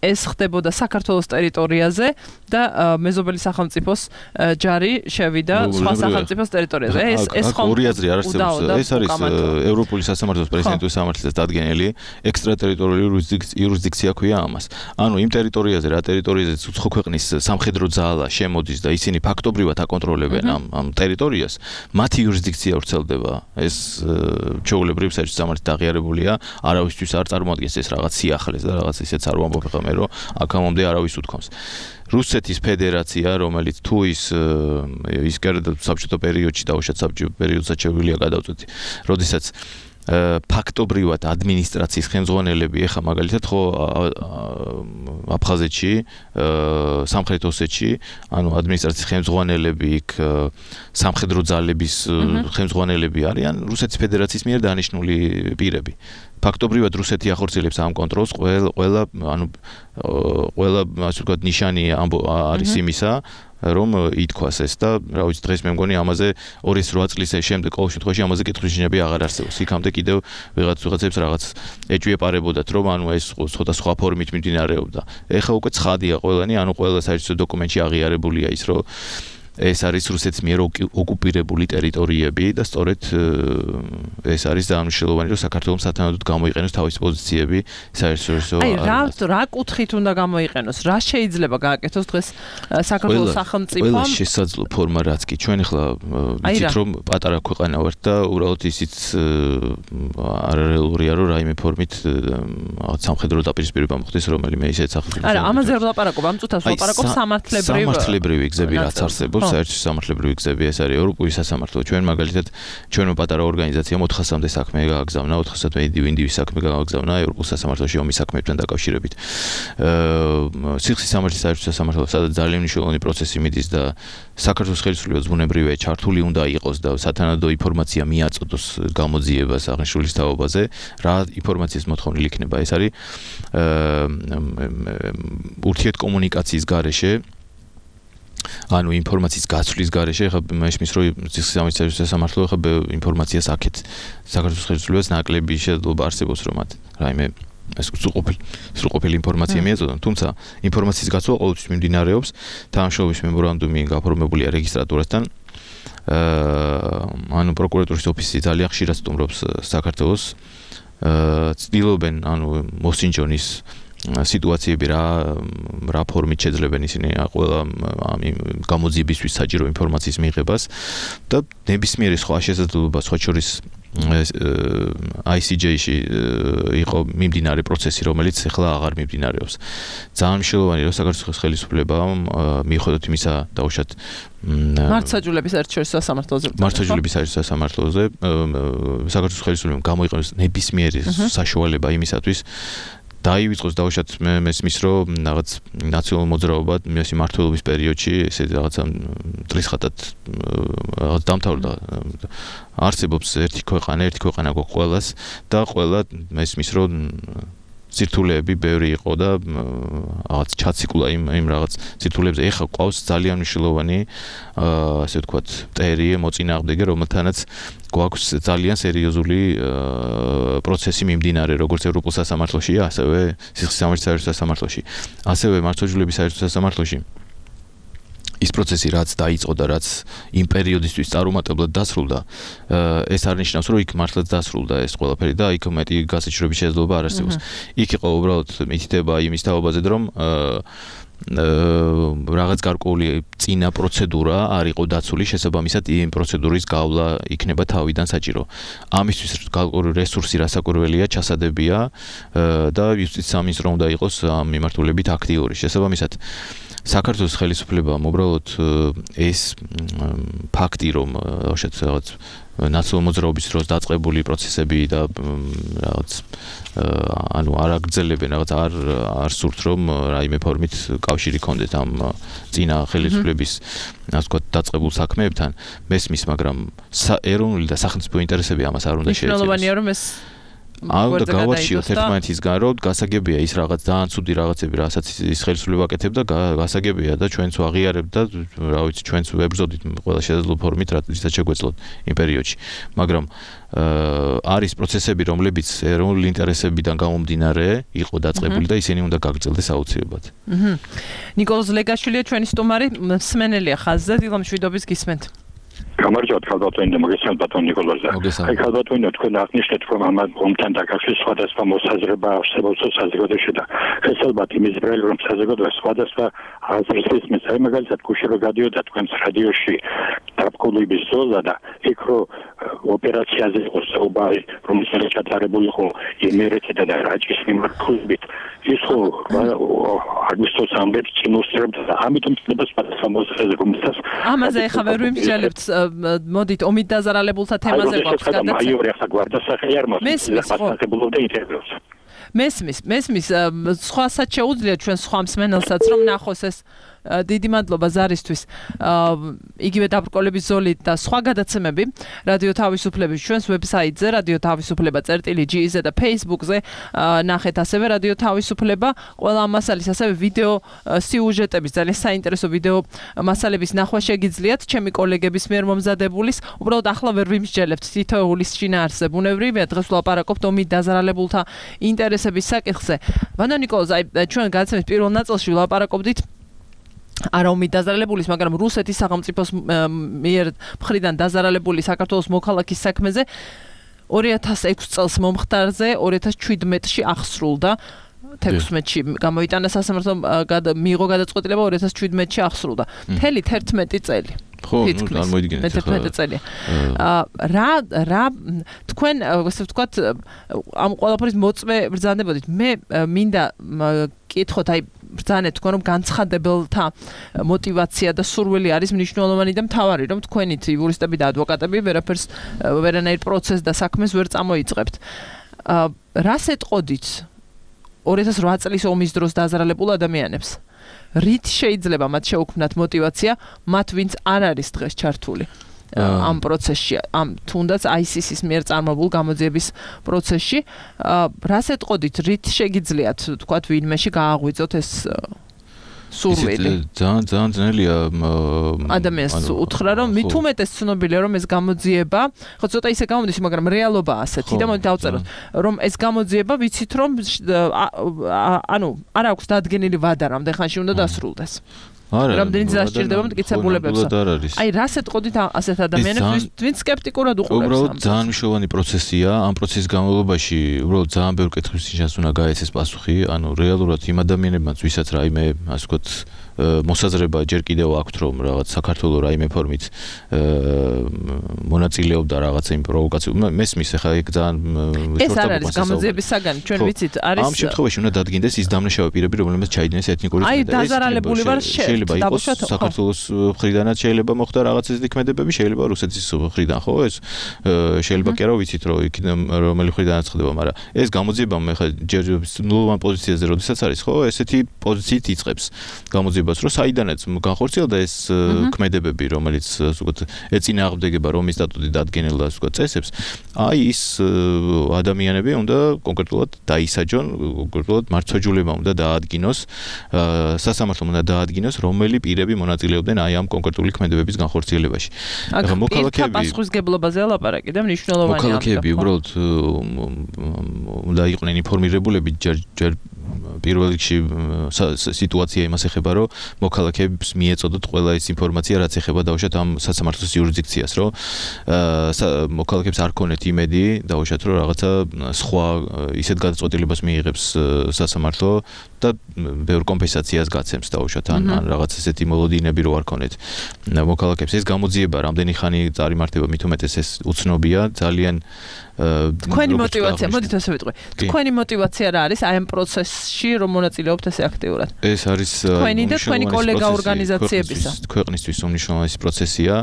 ეს ხდებოდა საქართველოს ტერიტორიაზე და მეზობელი სახელმწიფოს ჯარი შევიდა სხვა სახელმწიფოს ტერიტორიაზე. ეს ორი აზრი არ არსებობს. ეს არის ევროპული სასამართლოს პრეზიდენტის სამართლისას დადგენილი ექსტრატერიტორიული იურისდიქცია ქვია ამას. ანუ იმ ტერიტორიაზე, რა ტერიტორიაზეც უცხო ქვეყნის სამხედრო ძალა შემოდის და ისინი ფაქტობრივად აკონტროლებენ ამ ტერიტორიას, მათი იურისდიქცია ვრცელდება. ეს ჩვეულებრივ საერთო სამართლით აღიარებულია, არავისთვის არ წარმოადგენს ეს რაღაც სიახლეს და რაღაც ისეც არ ვამბობ ხომ რომ აქამდე არავის უთქვამს. რუსეთის ფედერაცია, რომელიც თუ ის საბჭოთა პერიოდში დაუშვათ საბჭოთა პერიოდსაც შეგვიძლია გადავწყვეტი, როდესაც ფაქტობრივად ადმინისტრაციის ხელმძღვანელები ეხა მაგალითად ხო აფხაზეთში, სამხრეთ ოსეთში, ანუ ადმინისტრაციის ხელმძღვანელები იქ სამხედრო ძალების ხელმძღვანელები არიან რუსეთის ფედერაციის მიერ დანიშნული პირები. ფაქტობრივად რუსეთი ახორციელებს ამ კონტროლს, ყველა ასე ვთქვათ ნიშანი არის იმისა, რომ ითქვას ეს და რა ვიცი დღეს მე მგონი ამაზე 208 წლის შემდეგ ყოველ შემთხვევაში ამაზე კითხვისჩინები აღარ არსებობს. იქამდე კიდევ ვიღაცებს რაღაც ეჭვიეპარებოდათ რომ ანუ ეს ცოტა სხვა ფორმით მიმდინარეობდა. ეხლა უკვე ცხადია ყველანი, ანუ ყველა საერთო დოკუმენტში აღიარებულია ის რომ ეს არის რუსეთის მიერ ოკუპირებული ტერიტორიები და სწორედ ეს არის დამშილოვანი რომ საქართველოს სათანადოდ გამოიყენოს თავისი პოზიციები საერთაშორისო რა კუთხით უნდა გამოიყენოს რა შეიძლება გააკეთოს დღეს საქართველოს სახელმწიფომ ყველა შესაძლო ფორმა რაც კი ჩვენ ახლა ვიცით რომ პატარა ქვეყანა ვართ და უბრალოდ ისიც არარეალურია რომ რაიმე ფორმით სამხედრო დაპირისპირება მოხდეს რომელიმე ისეთ სახელმწიფო არა ამაზე არ ვლაპარაკობ ამ წუთას ვლაპარაკობ სამართლებრივი გზები რაც არსებობს საერთო სამართლებრივი გზები ეს არის ევროპული სასამართლო ჩვენ მაგალითად ჩვენო პატარა ორგანიზაციამ 400-მდე საქმე გააგზავნა 400-მდე ინდივიდის საქმე გააგზავნა ევროპულ სასამართლოში ომის საქმეებთან დაკავშირებით სიხლის სამართლის საერთო სასამართლო სადაც ძალიან მნიშვნელოვანი პროცესი მიდის და საქართველოს ხელისუფლება ზმუნებრივია ჩართული უნდა იყოს და სათანადო ინფორმაცია მიაწოდოს გამოძიებას აღნიშნულის თაობაზე რა ინფორმაციის მოთხოვნილი იქნება ეს არის ურთიერთკომუნიკაციის გარეშე ანუ ინფორმაციის გაცვლის გარეშე ხა მაშინ რომ სიხლის სასამართლო ხა ინფორმაციას აქეთ საქართველოს ხელისუფლებას ნაკლები შესაძლებლობა არსებობს რომ მათ რაიმე ეს სრულყოფილი ინფორმაცია მიეწოდონ თუმცა ინფორმაციის გაცვლა ყოველთვის მიმდინარეობს თანამშრომლობის მემორანდუმი გაფორმებულია რეგისტრატურასთან ანუ პროკურატურის ოფისი ძალიან ხშირად სტუმრობს საქართველოს ცდილობენ ანუ მოსინჯონის სიტუაციები რა ფორმით შეძლებენ ისინი ყველა ამ გამოძიებისთვის საჭირო ინფორმაციის მიღებას და ნებისმიერი სხვა შესაძლებლობა სხვა შორის ICJ-ში იყო მიმდინარე პროცესი რომელიც ახლა აღარ მიმდინარეობს ძალიან მნიშვნელოვანია რომ საქართველოს ხელისუფლებამ მიუხედავად იმისა დაუშვათ მართლმსაჯულების საერთაშორისო სასამართლოზე საქართველოს ხელისუფლებამ გამოიყენოს ნებისმიერი საშუალება იმისათვის დაივიწყოს დაუშვათ მესმის რომ რაღაც ნაციონალურ მოძრაობა მისი მმართველობის პერიოდში ესე რაღაცა ტრისხატად რაღაც დამთავრდა არსებობს ერთი ქვეყანა გვაქვს ყველას და ყველა მესმის რომ სირთულეები ბევრი იყო და რაღაც ჩაციკულა იმ რაღაც სირთულეებზე ეხლა ყავს ძალიან მნიშვნელოვანი ასე ვთქვათ მტერი მოწინააღმდეგე რომელთანაც გვაქვს ძალიან სერიოზული პროცესი მიმდინარე როგორც ევროპულ სასამართლოშია ასევე სიხლის საერთაშორისო სასამართლოში ასევე მართლმსაჯულების საერთო სასამართლოში ის პროცესი რაც დაიწყო და რაც იმ პერიოდისთვის წარუმატებლად დასრულდა ეს არ ნიშნავს რომ იქ მართლაც დასრულდა ეს ყველაფერი და იქ მეტი გასაჭიროების შესაძლებლობა არ არსებობს იქ იყო უბრალოდ მითითება იმის თაობაზე რომ რაღაც გარკვეული წინა პროცედურა არ იყო დაცული შესაბამისად იმ პროცედურის გავლა იქნება თავიდან საჭირო ამისთვის გარკვეული რესურსი რასაკვირველია ჩასადებია და იუსტიციის სამინისტრო უნდა იყოს ამ მიმართულებით აქტიური შესაბამისად საქართველოს ხელისუფლებამ უბრალოდ ეს ფაქტი რომ რაღაც ნაციონალურ მოძრაობის დროს დაწყებული პროცესები და რაღაც ანუ არ აგრძელებენ რაღაც არ სურთ რომ რაიმე ფორმით კავშირი ქონდეთ ამ წინა ხელისუფლების ასე ვთქვათ დაწყებულ საქმეებთან მესმის მაგრამ ეროვნული და სახელმწიფო ინტერესები ამას არ უნდა შეეწიროს მნიშვნელოვანია რომ ეს და გავარჩიოთ ერთმანეთისგან რომ გასაგებია ის რაღაც ძალიან ცუდი რაღაცები რასაც ის ხელისუფლება აკეთებდა გასაგებია და ჩვენც ვაღიარებთ და რა ვიცი ჩვენც ვებრძოდით ყველა შესაძლო ფორმით რადგან შეგვეძლოთ იმ პერიოდში მაგრამ არის პროცესები რომლებიც ეროვნული ინტერესებიდან გამომდინარე იყო დაწყებული და ისინი უნდა გაგრძელდეს აუცილებლად ნიკოლოზ ლეგაშვილია ჩვენი სტუმარი მსმენელია ხაზზე დილა მშვიდობის გისმენთ გამარჯობათ ხალბატონი და მოგესალმებით ბატონ ნიკოლოზ. აი ხალბატონი თქვენ აღნიშნეთ რომ ამ ომთან დაკავშირებით სხვადასხვა მოსაზრება არსებობს საზოგადოებაში და ხესალბათ იმის ბრელი რომ საზოგადოება სხვადასხვა აზრს ისმის. აი მაგალითად გუშინ გადიოდა თქვენს რადიოში დაპყრობის ზოლა და იქ რომ ოპერაციაზე იყო საუბარი რომელიც ჩატარებული იყო იმერეთიდან და რაჭის მიმართულებით ის ხო აგვისტოს ამბებს წინუსწრებდა და ამიტომ წდება სხვადასხვა მოსაზრება რომელსაც ამაზე ახლა ვერ ვიმსჯელებთ მოდით ომით დაზარალებულთა თემაზე გვაქვს გადაცემა. მაიორი ახლა გვარდასახელი არ მესმის, სხვასაც შეუძლია ჩვენ სხვა მსმენელსაც რომ ნახოს ეს დიდი მადლობა ზარისთვის. იგივე დაბრკოლების ზოლით და სხვა გადაცემები რადიო თავისუფლების ჩვენს ვებსაიტზე radioთავისუფლება.gz და Facebook-ზე ნახეთ ასევე რადიო თავისუფლება. ყველა მასალის ასევე ვიდეო სიუჟეტების ძალიან საინტერესო ვიდეო მასალების ნახვა შეგიძლიათ ჩემი კოლეგების მიერ მომზადებულის. უბრალოდ ახლა ვერ ვიმსჯელებთ თითოეულის შინაარსზე ბუნებრივია დღეს ვლაპარაკობთ ომით დაზარალებულთა ინტერესების საკითხზე. ვანო ნიკოლოზ, ჩვენ გადაცემის პირველ ნაწილში ვლაპარაკობდით არა ომით დაზარალებულის, მაგრამ რუსეთის სახელმწიფოს მიერ მხრიდან დაზარალებული საქართველოს მოქალაქის საქმეზე 2006 წელს მომხდარზე 2017-ში აღსრულდა. 16-ში გამოიტანა სასამართლომ მიიღო გადაწყვეტილება 2017-ში აღსრულდა. მთელი 11 წელი. ხო, არ მოიდგინეთ ახლა. 11 წელი. რა თქვენ ასე ვთქვათ ამ ყველაფრის მოწმე ბრძანდებოდით. მე მინდა კითხოთ, აი ბრძანეთ თქვენ რომ განცხადებელთა мотиваცია და სურვილი არის მნიშვნელოვანი და მთავარი, რომ თქვენით იურისტები და ადვოკატები ვერანაირ პროცესს და საქმეს ვერ წამოიწყებთ. რას ეტყოდით 2008 წლის ომის დროს დაზარალებულ ადამიანებს? რით შეიძლება მათ შეუქმნათ мотиваცია, მათ ვინც არ არის დღეს ჩართული ამ პროცესში, ამ თუნდაც ISIS-ის მიერ წარმოებულ გამოძიების პროცესში? რას ეტყოდით, რით შეგიძლიათ თქვათ ვინმეში გააღვიძოთ ეს სურვილი? ძალიან ძნელია ადამიანს უთხრა რომ მით უმეტეს ცნობილია რომ ეს გამოძიება, ხო ცოტა ისე გამოდის, მაგრამ რეალობაა ასეთი და მოდი დავწეროთ რომ ეს გამოძიება ვიცით რომ ანუ არ აქვს დადგენილი ვადა რამდენ ხანში უნდა დასრულდეს. რამდენი დასჭირდება მტკიცებულებებს. აი რას ეტყოდით ასეთ ადამიანებს, ვინც სკეპტიკურად უყურებს? უბრალოდ ძალიან მნიშვნელოვანი პროცესია. ამ პროცესის განმავლობაში უბრალოდ ძალიან ბევრი კითხვის ნიშანს უნდა გაეცეს პასუხი. ანუ რეალურად იმ ადამიანებმაც, ვისაც რაიმე ასე ვთქვათ მოსაზრება ჯერ კიდევ აქვთ რომ რაღაც საქართველოს რაიმე ფორმით მონაწილეობდა რაღაცა იმ პროვოკაციულ. მესმის ახლა ეგ ძალიან ეს არ არის გამოძიების საგანი, ჩვენ ვიცით, არის ამ შემთხვევაში უნდა დადგინდეს ის დამნაშავე პირები, რომლებიც ჩაიდინეს ეთნიკური აი დაზარალებული ვარ შეიძლება იყოს საქართველოს მხრიდანაც შეიძლება მოხდა რაღაც ეს დიქმედებები, შეიძლება რუსეთის მხრიდან, ხო ეს შეიძლება კი არა ვიცით რომ იქიდან რომელი მხრიდანაც ხდება, მაგრამ ეს გამოძიება მე ხა ჯერ ნულოვან პოზიციაზე როდესაც არის, ხო ესეთი პოზიციით იწყებს გამოძიებას, რომ საიდანაც განხორციელდა ეს ქმედებები, რომელიც ასე ვთქვათ ეწინააღმდეგება რომის სტატუტი დადგენილ და ასე ვთქვათ წესებს, აი ის ადამიანები უნდა კონკრეტულად დაისაჯონ, კონკრეტულად მართლმსაჯულებამ უნდა დაადგინოს, სასამართლომ უნდა დაადგინოს რომელი პირები მონაწილეობდნენ აი ამ კონკრეტული ქმედებების განხორციელებაში. ახლა მოქალაქეები პასუხისგებლობაზე ლაპარაკი და მნიშვნელოვანია. მოქალაქეები უბრალოდ უნდა იყვნენ ინფორმირებულები ჯერ პირველ რიგში სიტუაცია იმას ეხება, რომ მოქალაქეებს მიეწოდოთ ყველა ის ინფორმაცია, რაც ეხება დაუშვათ ამ სასამართლოს იურისდიქციას, რომ მოქალაქეებს არ ქონეთ იმედი, დაუშვათ რომ რაღაცა სხვა ისეთ გადაწყვეტილებას მიიღებს სასამართლო და ბევრ კომპენსაციას გაცემს დაუშვათ ან რაღაც ესეთი მოლოდინები რო არ ქონეთ მოქალაქეებს. ეს გამოძიება რამდენი ხანი წარიმართება, მით უმეტეს ეს უცნობია, ძალიან თქვენი мотиваცია, მოდით ასე ვიტყვი. თქვენი мотиваცია რა არის აი ამ პროცესში რომ მონაწილეობთ ესე აქტიურად? ეს არის თქვენი და თქვენი კოლეგა ორგანიზაციებისა. ქვეყნისთვის უმნიშვნელოვანესი პროცესია.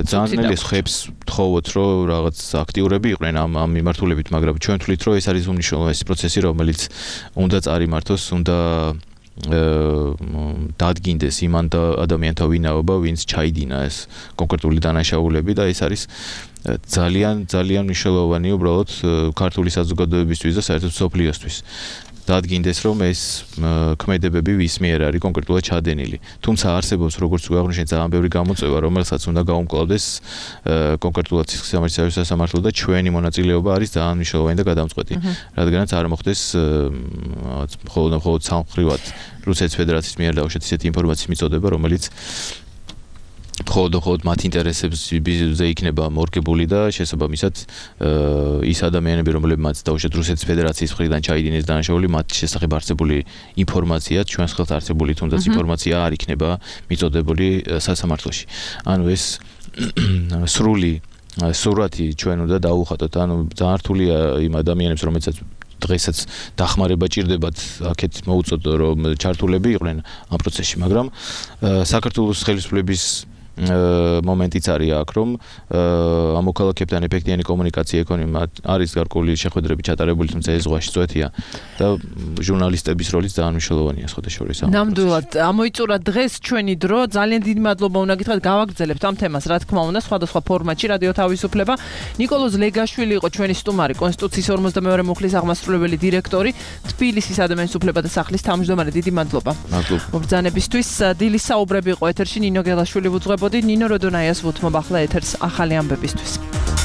ძალიან ძნელი ხებს თხოვოთ რომ რაღაც აქტიურები იყვნენ ამ მიმართულებით, მაგრამ ჩვენ თვლით რომ ეს არის უმნიშვნელოვანესი პროცესი, რომელიც უნდა წარიმართოს, უნდა დადგინდეს იმ ადამიანთა ვინაობა, ვინც ჩაიდინა ეს კონკრეტული დანაშაულები და ეს არის ძალიან მნიშვნელოვანი უბრალოდ ქართული საზოგადოებისთვის და საერთოდ სოფლიოსთვის. დადგინდეს რომ ეს ქმედებები ვის მიერ არის კონკრეტულად ჩადენილი. თუმცა არსებობს როგორც გვაღვნიშნეთ ძალიან ბევრი გამოწვევა, რომელსაც უნდა გაუმკლავდეს კონკრეტულად სამართლის სასამართლო და ჩვენი მონაწილეობა არის ძალიან მნიშვნელოვანი და გადამწყვეტი. რადგანაც არ მოხდეს მხოლოდ სამხრივად რუსეთის ფედერაციის მიერ დაუშვათ ისეთი ინფორმაციის მიწოდება, რომელიც მხოლოდ მათ ინტერესებზე იქნება მორგებული და შესაბამისად ის ადამიანები, რომლებმაც დაუშვათ რუსეთის ფედერაციის მხრიდან ჩაიდინეს დანაშაული, მათ შესახებ არსებული ინფორმაცია, ჩვენს ხელთ არსებული თუნდაც ინფორმაცია არ იქნება მიწოდებული სასამართლოში. ანუ ეს სურათი ჩვენ უნდა დაუხატოთ, ანუ ძალიან რთულია იმ ადამიანებს, რომელსაც დღესაც დახმარება ჭირდებათ, აქეთ მოუწოდო რომ ჩართულები იყვნენ ამ პროცესში, მაგრამ საქართველოს ხელისუფლების მომენტიც არის აქ, რომ ამოქალაქებთან ეფექტიანი კომუნიკაცია ექონია, არის გარკვეული შეხვედრები ჩატარებული, თუმცა ეს ზღვაში წვეთია და ჟურნალისტების როლიც ძალიან მნიშვნელოვანია სხვადასხვა. ნამდვილად, ამოიწურა დღეს ჩვენი დრო, ძალიან დიდი მადლობა უნდა გითხრათ, გავაგრძელებთ ამ თემას, რა თქმა უნდა, სხვადასხვა ფორმატში, რადიო თავისუფლება. ნიკოლოზ ლეგაშვილი იყო ჩვენი სტუმარი, კონსტიტუციის 52 მუხლის აღმასრულებელი დირექტორი, თბილისის ადამიანის უფლებათა სახლის თავმჯდომარე. დიდი მადლობა. მობრძანებისთვის დილის საუბრები იყო ეთერში, ნინო გელაშვილი ვუძღვებოდი, ნინო როდონაიას ვუთმობ ახლა ეთერს ახალი ამბებისთვის.